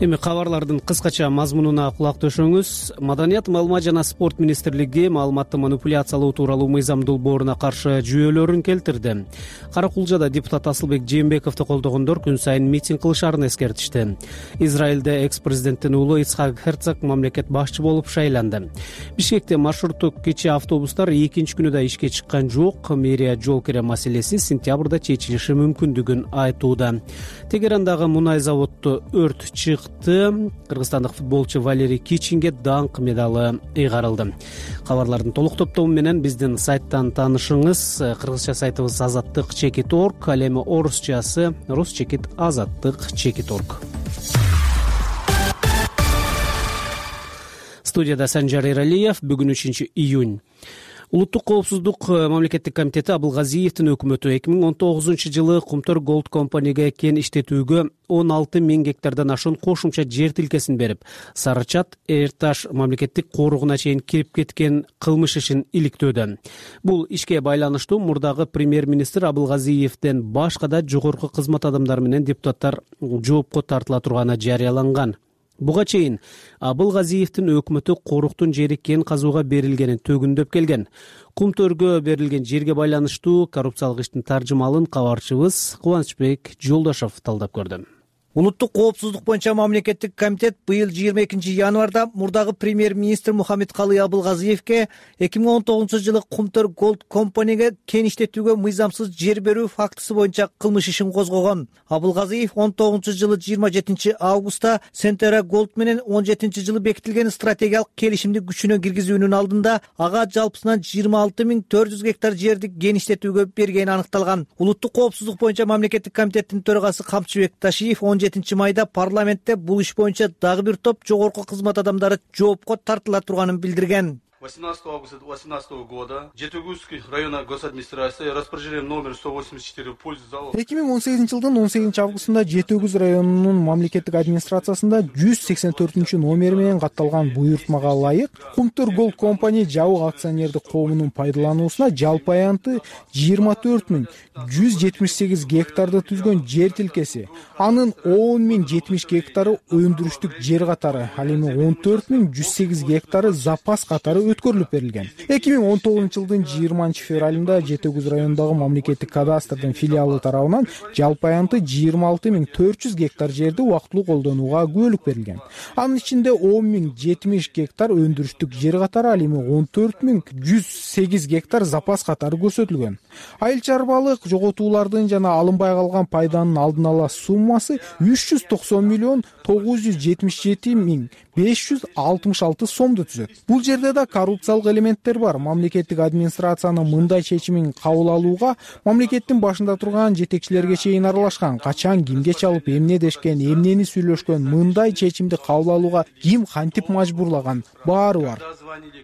Эми кабарлардын кыскача мазмунуна кулак төшөңүз. Маданият, маалымат жана спорт министрлиги маалыматты манипуляциялоо тууралуу мыйзам долбооруна каршы жүйөлөрүн келтирди. Каракулжада депутат Асылбек Жээнбековду колдогондор күн сайын митинг кылышаарын эскертишти. Израилде экс-президенттин уулу Ицхак Херцог мамлекет башчы болуп шайланды. Бишкекте маршруттук кичи автобустар экинчи күнү да ишке чыккан жок. Мэрия жол кире маселеси сентябрда чечилиши мүмкүндүгүн айтууда. Тегерандагы мунай заводдо өрт чыкты. Кыргызстандык футболчу Валерий Кичинге даңк медалы ыйгарылды. Кабарлардын толук топтому менен биздин сайттан таанышыңыз. Кыргызча сайтыбыз азаттык чекит точка орг, ал эми орусчасы русчекит азаттык чекит точка орг. Студияда Санжар Эралиев. Бүгүн үчүнчү июнь. Улуттук коопсуздук мамлекеттик комитети Абылгазиевдин өкмөтү эки миң он тогузунчу жылы Кумтөр Голд компанияга кен иштетүүгө он алты миң гектардан ашуун кошумча жер тилкесин берип, Сарычат Эрташ мамлекеттик коругуна чейин кирип кеткен кылмыш ишин иликтөөдө. Бул ишке байланыштуу мурдагы премьер-министр Абылгазиевден башка да жогорку кызмат адамдары менен депутаттар жоопко тартыла турганы жарыяланган. Буга чейин Абылгазиевдин өкмөтү коруктун жери кен казууга берилгенин төгүндөп келген. Кумтөргө берилген жерге байланыштуу коррупциялык иштин таржымалын кабарчыбыз Кубанычбек Жолдошов талдап көрдү. Улуттук коопсуздук боюнча мамлекеттик комитет быйыл жыйырма экинчи январда мурдагы премьер-министр Мухаммедкалый Абылгазиевке эки миң он тогузунчу жылы Кумтөр Голд компанияга кен иштетүүгө мыйзамсыз жер берүү фактысы боюнча кылмыш ишин козгогон. Абылгазиев он тогузунчу жылы жыйырма жетинчи августта Сентера Голд менен он жетинчи жылы бекитилген стратегиялык келишимди күчүнө киргизүүнүн алдында ага жалпысынан жыйырма алты миң төрт жүз гектар жерди кен иштетүүгө бергени аныкталган. Улуттук коопсуздук боюнча мамлекеттик комитеттин төрагасы Камчыбек Ташиев он жетинчи майда парламентте бул иш боюнча дагы бир топ жогорку кызмат адамдары жоопко тартыла турганын билдирген. восемнадцатого августа две тысячи восемнадцатого года Жетигузский районной госадминистрации распоряжением номер сто восемьдесят четыре в пользу залога эки миң он сегизинчи жылдын он сегизинчи августунда Жети Өгүз районунун мамлекеттик администрациясында жүз сексен төртүнчү номери менен катталган буйртмага ылайык Кумтөр Голд компания жабык акционердик коомунун пайдалануусуна жалпы аянты жыйырма төрт миң жүз жетимиш сегиз гектарды түзгөн жер тилкеси, анын он миң жетимиш гектары өндүрүштүк жер катары, ал эми он төрт миң жүз сегиз гектары запас катары өткөрүлүп берилген. эки миң он тогузунчу жылдын жыйырманчы февралында Жети Өгүз районундагы мамлекеттик кадастрдын филиалы тарабынан жалпы аянты жыйырма алты миң төрт жүз гектар жерди убактылуу колдонууга күбөлүк берилген. Анын ичинде он миң жетимиш гектар өндүрүштүк жер катары, ал эми он төрт миң жүз сегиз гектар запас катары көрсөтүлгөн. Айыл чарбалык жоготуулардын жана алынбай калган пайданын алдын ала суммасы үч жүз токсон миллион тогуз жүз жетимиш жети миң беш жүз алтымыш алты сомду түзөт. Бул жерде да коррупциялык элементтер бар. Мамлекеттик администрациянын мындай чечимин кабыл алууга мамлекеттин башында турган жетекчилерге чейин аралашкан. Качан кимге чалып эмне дешкен, эмнени сүйлөшкөн, мындай чечимди кабыл алууга ким кантип мажбурлаган, баары бар.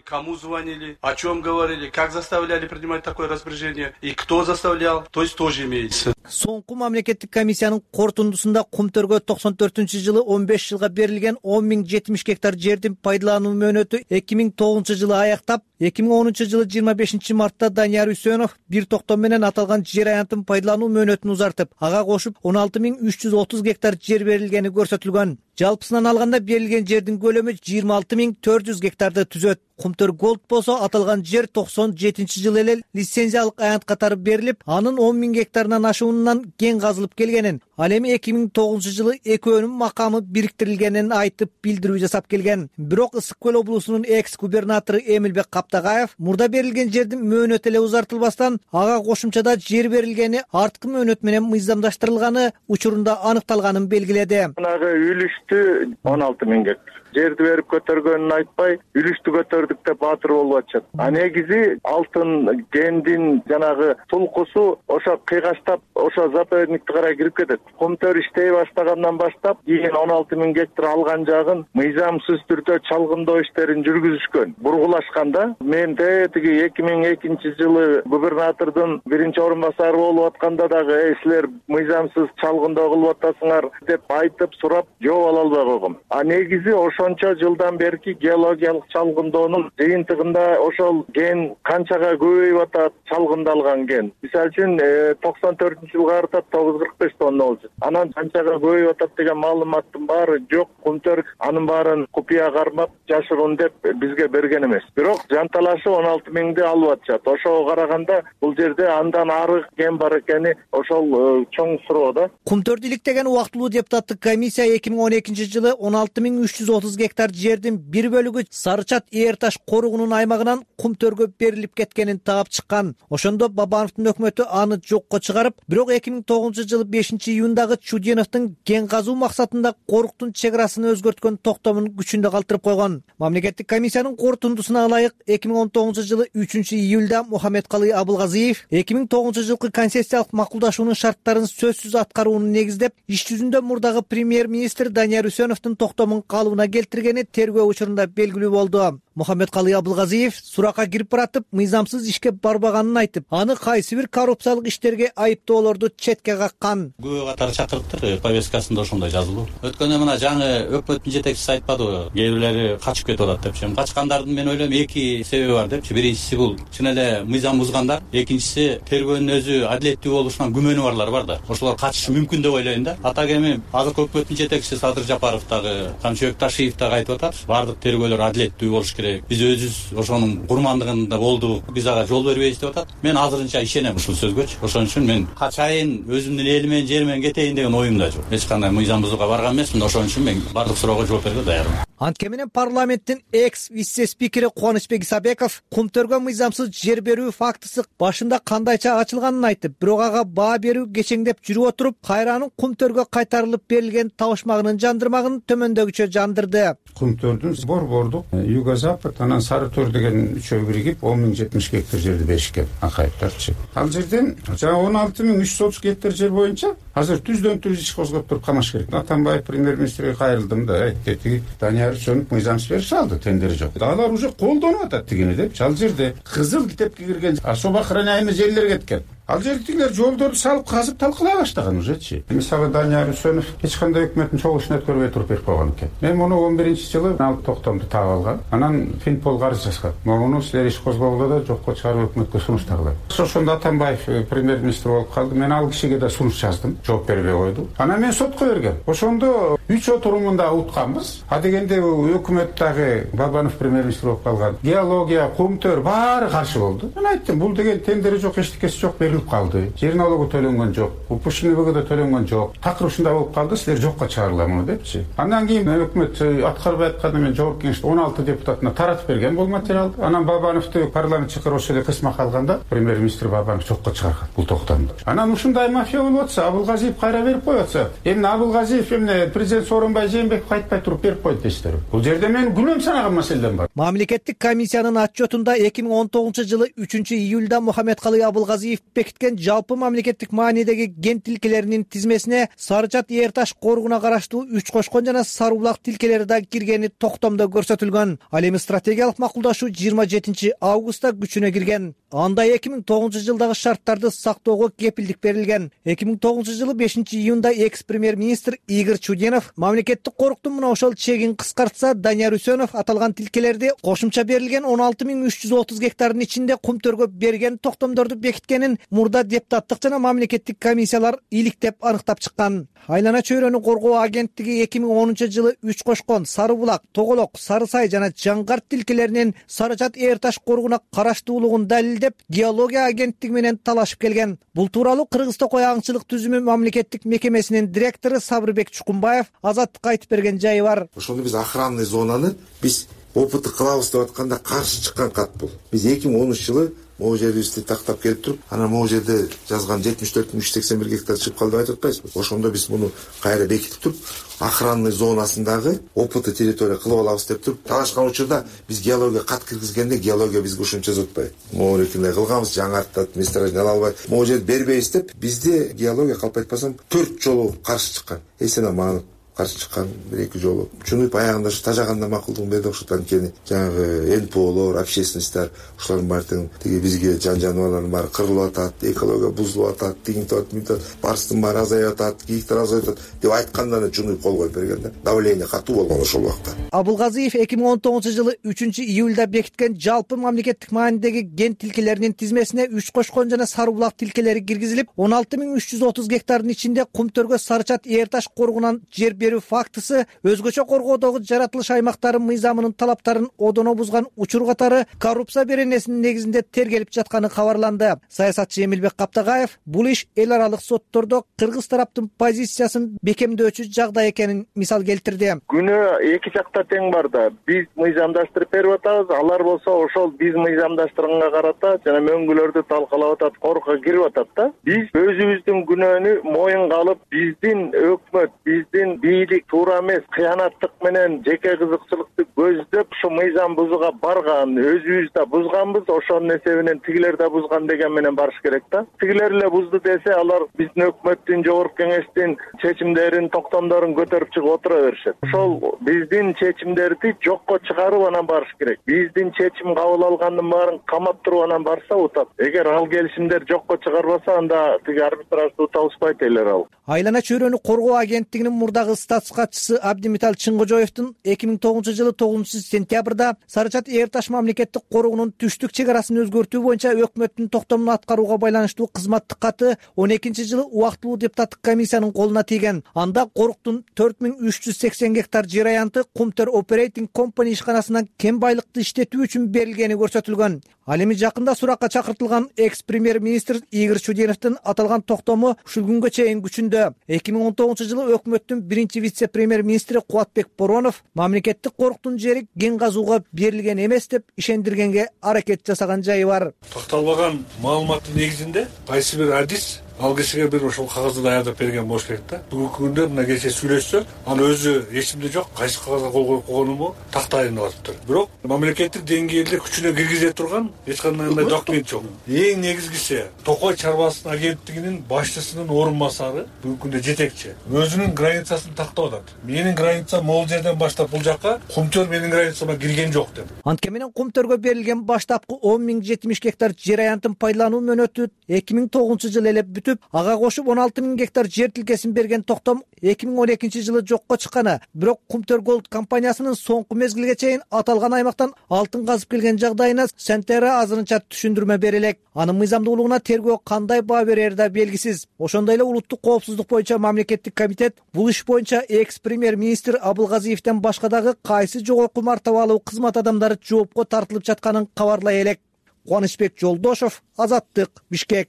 Кому звонили, о чем говорили, как заставляли принимать такое распоряжение и кто заставлял, то есть тоже имеется. Соңку мамлекеттик комиссиянын корутундусунда Кумтөргө токсон төртүнчү жылы он беш жылга берилген он миң жетимиш гектар жердин пайдалануу мөөнөтү эки миң тогузунчу жылы аяктап, эки миң онунчу жылы жыйырма бешинчи мартта Данияр Үсөнов бир токтом менен аталган жер аянтын пайдалануу мөөнөтүн узартып, ага кошуп он алты миң үч жүз отуз гектар жер берилгени көрсөтүлгөн. Жалпысынан алганда берилген жердин көлөмү жыйырма алты миң төрт жүз гектарды түзөт. Кумтөр Голд болсо аталган жер токсон жетинчи жылы эле лицензиялык аянт катары берилип, анын он миң гектарынан ашуунан кен казылып келгенин, ал эми эки миң тогузунчу жылы экөөнүн макамы бириктирилгенин айтып билдирүү жасап келген. Бирок Ысык көл облусунун экс-губернатору Эмилбек Каптагаев мурда берилген жердин мөөнөтү эле узартылбастан, ага кошумчада жер берилгени арткы мөөнөт менен мыйзамдаштырылганы учурунда аныкталганын белгиледи. Мынагы үлүштү он алты миң гектар. Жерди берип көтөргөнүн айтпай, үлүштү көтөрдүк деп баатыр болуп атышат. А негизи алтын кендин жанагы тулкусу ошо кыйгаштап, ошо заповедникке карай кирип кетет. Кумтөр иштей баштагандан баштап, кийин он алты миң гектар алган жагын мыйзамсыз түрдө чалгындоо иштерин жүргүзүшкөн. Бургулашканда мен тиги эки миң экинчи жылы губернатордун биринчи орун басары болуп атканда дагы «Эй, силер мыйзамсыз чалгындоо кылып атасыңар» деп айтып сурап жооп ала албай койгом. А негизи ошончо жылдан берки геологиялык чалгындоонун жыйынтыгында ошол кен канчага көбөйүп атат, чалгындалган кен. Мисалы үчүн токсон төртүнчү жылга карата тогуз жүз кырк беш тонна болчу. Анан канчага көбөйүп атат деген маалыматтын баары жок. Кумтөр анын баарын купуя кармап, жашыруун деп бизге берген эмес. Бирок жанталашып он алты миңди алып атышат. Ошого караганда бул жерде андан ары кен бар экени ошол чоң суроо да. Кумтөрдү иликтеген убактылуу депутаттык комиссия эки миң он экинчи жылы он алты миң үч жүз отуз гектар жердин бир бөлүгү Сарычат Ээр таш коругунун аймагынан Кумтөргө берилип кеткенин таап чыккан. Ошондо Бабановдун өкмөтү аны жокко чыгарып, бирок эки миң тогузунчу жылы бешинчи июндагы Чуденовдун кен казуу максатында коруктун чек арасын өзгөрткөн токтомун күчүндө калтырып койгон. Мамлекеттик комиссиянын корутундусуна ылайык эки миң он тогузунчу жылы үчүнчү июлда Мухаммедкалый Абылгазиев эки миң тогузунчу жылкы концессиялык макулдашуунун шарттарын сөзсүз аткарууну негиздеп, иш жүзүндө мурдагы премьер-министр Данияр Үсөновдун токтомун калыбына келтиргени тергөө учурунда белгилүү болду. Мухаммедкалый Абылгазиев суракка кирип баратып, мыйзамсыз ишке барбаганын айтып, аны кайсы бир коррупциялык иштерге айыптоолорду четке каккан. Күбө катары чакырыптыр, повесткасында ошондой жазылуу. Өткөндө мына жаңы өкмөттүн жетекчиси айтпадыбы, кээ бирлери качып кетип атат депчи. Качкандардын мен ойлойм эки себеби бар депчи. Биринчиси бул чын эле мыйзам бузгандар, экинчиси тергөөнүн өзү адилеттүү болушунан күмөнү барлар бар да. Ошолор качышы мүмкүн деп ойлойм да. Атак эми азыркы өкмөттүн жетекчиси Садыр Жапаров дагы, Камчыбек Ташиев дагы айтып атат. Бардык тергөөлөр адилеттүү болуш керек. Биз өзүбүз ошонун курмандыгында болдук, биз ага жол бербейбиз деп атат. Мен азырынча ишенем ушул сөзгөчү. Ошон үчүн мен качайын өзүмдүн эли менен жери менен менен кетейин деген оюм да жок. Эч кандай мыйзам бузууга барган эмесмин. Ошон үчүн мен бардык суроого жооп берүүгө даярмын. Антке менен парламенттин экс вице спикери Кубанычбек Исабеков кумтөргө мыйзамсыз жер берүү фактысы башында кандайча ачылганын айтып, бирок ага баа берүү кечеңдеп жүрүп отуруп, кайранын кумтөргө кайтарылып берилген табышмагынын жандырмагын төмөндөгүчө жандырды. Кумтөрдүн борбордук юго-запад анан сары төр деген үчөө биригип он миң жетимиш гектар жерди беришкен акайыптарчы. Ал жерден жана он алты миң үч жүз отуз гектар жер боюнча азыр түздөн түз иш козгоп туруп камаш керек. Атамбаев премьер-министрге кайрылдым да, айтты, Данияр Үчөнүп мыйзамсыз берип салды, тендери жок. Алар уже колдонуп атат дегени деп. Ал жерде кызыл китепке кирген особо охраняемый жерлер кеткен. Ал жердегилер жолдорду салып казып талкалай баштаган ужечи. Мисалы Данияр Үчөнүп эч кандай өкмөттүн чогулушун өткөрбөй туруп берип койгон экен. Мен муну он биринчи жылы алып токтомду таап алгам. Анан Финпол карыз жазган. Муну силер иш козгоого да жокко чыгарып өкмөткө сунуштагыла. Ошондо Атамбаев премьер-министр болуп калды. Мен ал кишиге да сунуш жаздым. Жооп бербей койду. Анан мен сотко бергем. Ошондо үч отурумунда утканбыз. А дегенде өкмөт дагы Бабанов премьер-министр болуп калган. Геология, кумтөр баары каршы болду. Мен айттым, бул деген тендери жок, эчтекеси жок, берилип калды. Жер налогу төлөнгөн жок, упушкинбг да төлөнгөн жок. Такыр ушундай болуп калды, силер жокко чыгарыла муну депчи. Андан кийин өкмөт аткарбай атканда мен жогорку кеңеште он алты депутатына таратып берген бул материалды. Анан Бабановду парламент чакырып ошол эле кысмак алганда премьер-министр Бабанов жокко чыгарган бул токтомду. Анан ушундай мафия болуп атса, Абылгазиев кайра берип коюп атса, эмне Абылгазиев эмне президент Сооронбай Жээнбеков кайтпай туруп берип койду дейсиздер. Бул жерде мен күнөөм санаган маселем бар. Мамлекеттик комиссиянын отчетунда эки миң он тогузунчу жылы үчүнчү июлда Мухаммедкалый Абылгазиев бекиткен жалпы мамлекеттик маанидеги ген тилкелеринин тизмесине Сарычат Эр Таш коругуна караштуу Үч Кошкон жана Сары Булак тилкелери да киргени токтомдо көрсөтүлгөн. Ал эми стратегиялык макулдашуу жыйырма жетинчи августта күчүнө кирген. Анда эки миң тогузунчу жылдагы шарттарды сактоого кепилдик берилген. эки миң тогузунчу жылы бешинчи июнда экс премьер-министр Игорь Чуденов мамлекеттик коруктун мына ошол чегин кыскартса, Данияр Үчөнөв аталган тилкелерди кошумча берилген он алты миң үч жүз отуз гектардын ичинде кумтөргө берген токтомдорду бекиткенин мурда депутаттык жана мамлекеттик комиссиялар иликтеп аныктап чыккан. Айлана чөйрөнү коргоо агенттиги эки миң онунчу жылы Үч Кошкон, Сары Булак, Тоголок, Сары Сай жана Жаңгарт тилкелеринин Сарычат Эр Таш коругуна караштуулугун далилдеп, геология агенттиги менен талашып келген. Бул тууралуу Кыргыз Токой аңчылык түзүмү мамлекеттик мекемесинин директору Сабырбек Чукунбаев Азаттыкка айтып берген жайы бар. Ошондо биз охранный зонаны биз опыты кылабыз деп атканда каршы чыккан кат бул. Биз эки миң онунчу жылы могу жерибизди тактап келип туруп, анан могу жерде жазган жетимиш төрт миң үч жүз сексен бир гектар чыгып калды деп айтып атпайсызбы? Ошондо биз муну кайра бекитип туруп, охранный зонасындагы опыты территория кылып алабыз деп туруп, талашкан учурда биз геология кат киргизгенде геология бизге ушунча жатпайт. Могу эркиндей кылганбыз, жаңартта месторождение ала албай, могу жерди бербейбиз деп, бизде геология калп айтпасам төрт жолу каршы чыккан. Эсен аманов каршы чыккан бир эки жолу. Чунуп аягында ушу тажаганда макулдугун берди окшойт. Анткени жанагы эн пэ олор, общественностьтар ушулардын баары тең тиги бизге жан жаныбарлардын баары кырылып атат, экология бузулуп атат, тигинтип атат, барстын баары азайып атат, кийиктер азайып атат деп айтканда Чунуп кол коюп берген да. Давление катуу болгон ошол убакта. Абылгазиев эки миң он тогузунчу жылы үчүнчү июлда бекиткен жалпы мамлекеттик маанидеги ген тилкелеринин тизмесине Үч Кошкон жана Сары Булак тилкелери киргизилип, он алты миң үч жүз отуз гектардын ичинде кумтөргө Сарычат Эр Таш коругунан жер берүү фактысы өзгөчө коргоодогу жаратылыш аймактары мыйзамынын талаптарын одоно бузган учур катары коррупция беренесинин негизинде тергелип жатканы кабарланды. Саясатчы Эмилбек Каптагаев бул иш эл аралык соттордо кыргыз тараптын позициясын бекемдөөчү жагдай экенин мисал келтирди. Күнөө эки жакта тең бар да. Биз мыйзамдаштырып берип атабыз, алар болсо ошол биз мыйзамдаштырганга карата жана мөңгүлөрдү талкалап атат, корукка кирип атат да. Биз өзүбүздүн күнөөнү моюнга алып, биздин өкмөт, биздин бийлик туура эмес кыянаттык менен жеке кызыкчылыкты көздөп ушу мыйзам бузууга барган, өзүбүз да бузганбыз, ошонун эсебинен тигилер да бузган деген менен барыш керек да. Тигилер эле бузду десе, алар биздин өкмөттүн, жогорку кеңештин чечимдерин, токтомдорун көтөрүп чыгып отура беришет. Ошол биздин чечимдерди жокко чыгарып анан барыш керек. Биздин чечим кабыл алгандын баарын камап туруп анан барса утат. Эгер ал келишимдер жокко чыгарбаса, анда тиги арбитражды табышпайт элер ал. Айлана чөйрөнү коргоо агенттигинин мурдагы статс катчысы Абдимитал Чыңгожоевдун эки миң тогузунчу жылы тогузунчу сентябрда Сары Чат Эр Таш мамлекеттик коруугунун түштүк чек арасын өзгөртүү боюнча өкмөттүн токтомун аткарууга байланыштуу кызматтык каты он экинчи жылы убактылуу депутаттык комиссиянын колуна тийген. Анда Коруктун төрт миң үч жүз сексен гектар жер аянты Кумтөр Operating Company ишканасынан кем байлыкты иштетүү үчүн берилгени көрсөтүлгөн. Ал эми жакында суракка чакыртылган экс премьер-министр Игорь Чудиновдун аталган токтому ушул күнгө чейин күчүндө. эки миң он тогузунчу жылы өкмөттүн биринчи вице-премьер-министри Кубатбек Боронов мамлекеттик коруктун жери кен казууга берилген эмес деп ишендиргенге аракет жасаган жайы бар. Такталбаган маалыматтын негизинде кайсы бир адис ал кишиге бир ошол кагазды даярдап берген болуш керек да. Бүгүнкү күндө мына кечээ сүйлөшсө, ал өзү эсимде жок, кайсы кагазга кол коюп койгонуму тактайын атыптыр. Бирок мамлекеттик деңгээлде күчүнө киргизе турган эч кандай документ жок. Эң негизгиси Токой чарбасын агенттигинин башчысынын орун басары бүгүнкү күндө жетекчи. Өзүнүн границасын тактап атат. Менин границам могул жерден баштап бул жакка, Кумтөр менин границама кирген жок деп. Анткени менен Кумтөргө берилген баштапкы он миң жетимиш гектар жер аянтын пайдалануу мөөнөтү эки миң тогузунчу жылы эле бүтүп, ага кошуп он алты миң гектар жер тилкесин берген токтом эки миң он экинчи жылы жокко чыкканы. Бирок Кумтөр Голд компаниясынын соңку мезгилге чейин аталган аймактан алтын казып келген жагдайына Сентера азырынча түшүндүрмө бере элек. Анын мыйзамдуулугуна тергөө кандай баа берери да белгисиз. Ошондой эле улуттук коопсуздук боюнча мамлекеттик комитет бул иш боюнча экс премьер-министр Абылгазиевден башка дагы кайсы жогорку мартабалуу кызмат адамдары жоопко тартылып жатканын кабарлай элек. Кубанычбек Жолдошов, Азаттык, Бишкек.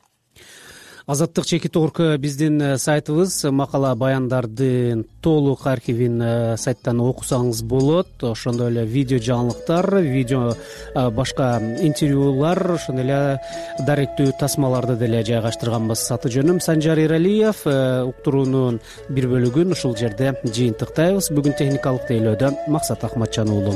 Азаттык чекит орку биздин сайтыбыз, макала баяндардын толук архивин сайттан окусаңыз болот. Ошондой эле видео жаңылыктар, видео башка интервьюлар, ошондой эле даректүү тасмаларды деле жайгаштырганбыз. Аты жөнүм Санжар Эралиев. Уктуруунун бир бөлүгүн ушул жерде жыйынтыктайбыз. Бүгүн техникалык тейлөөдө Максат Акматжан уулу.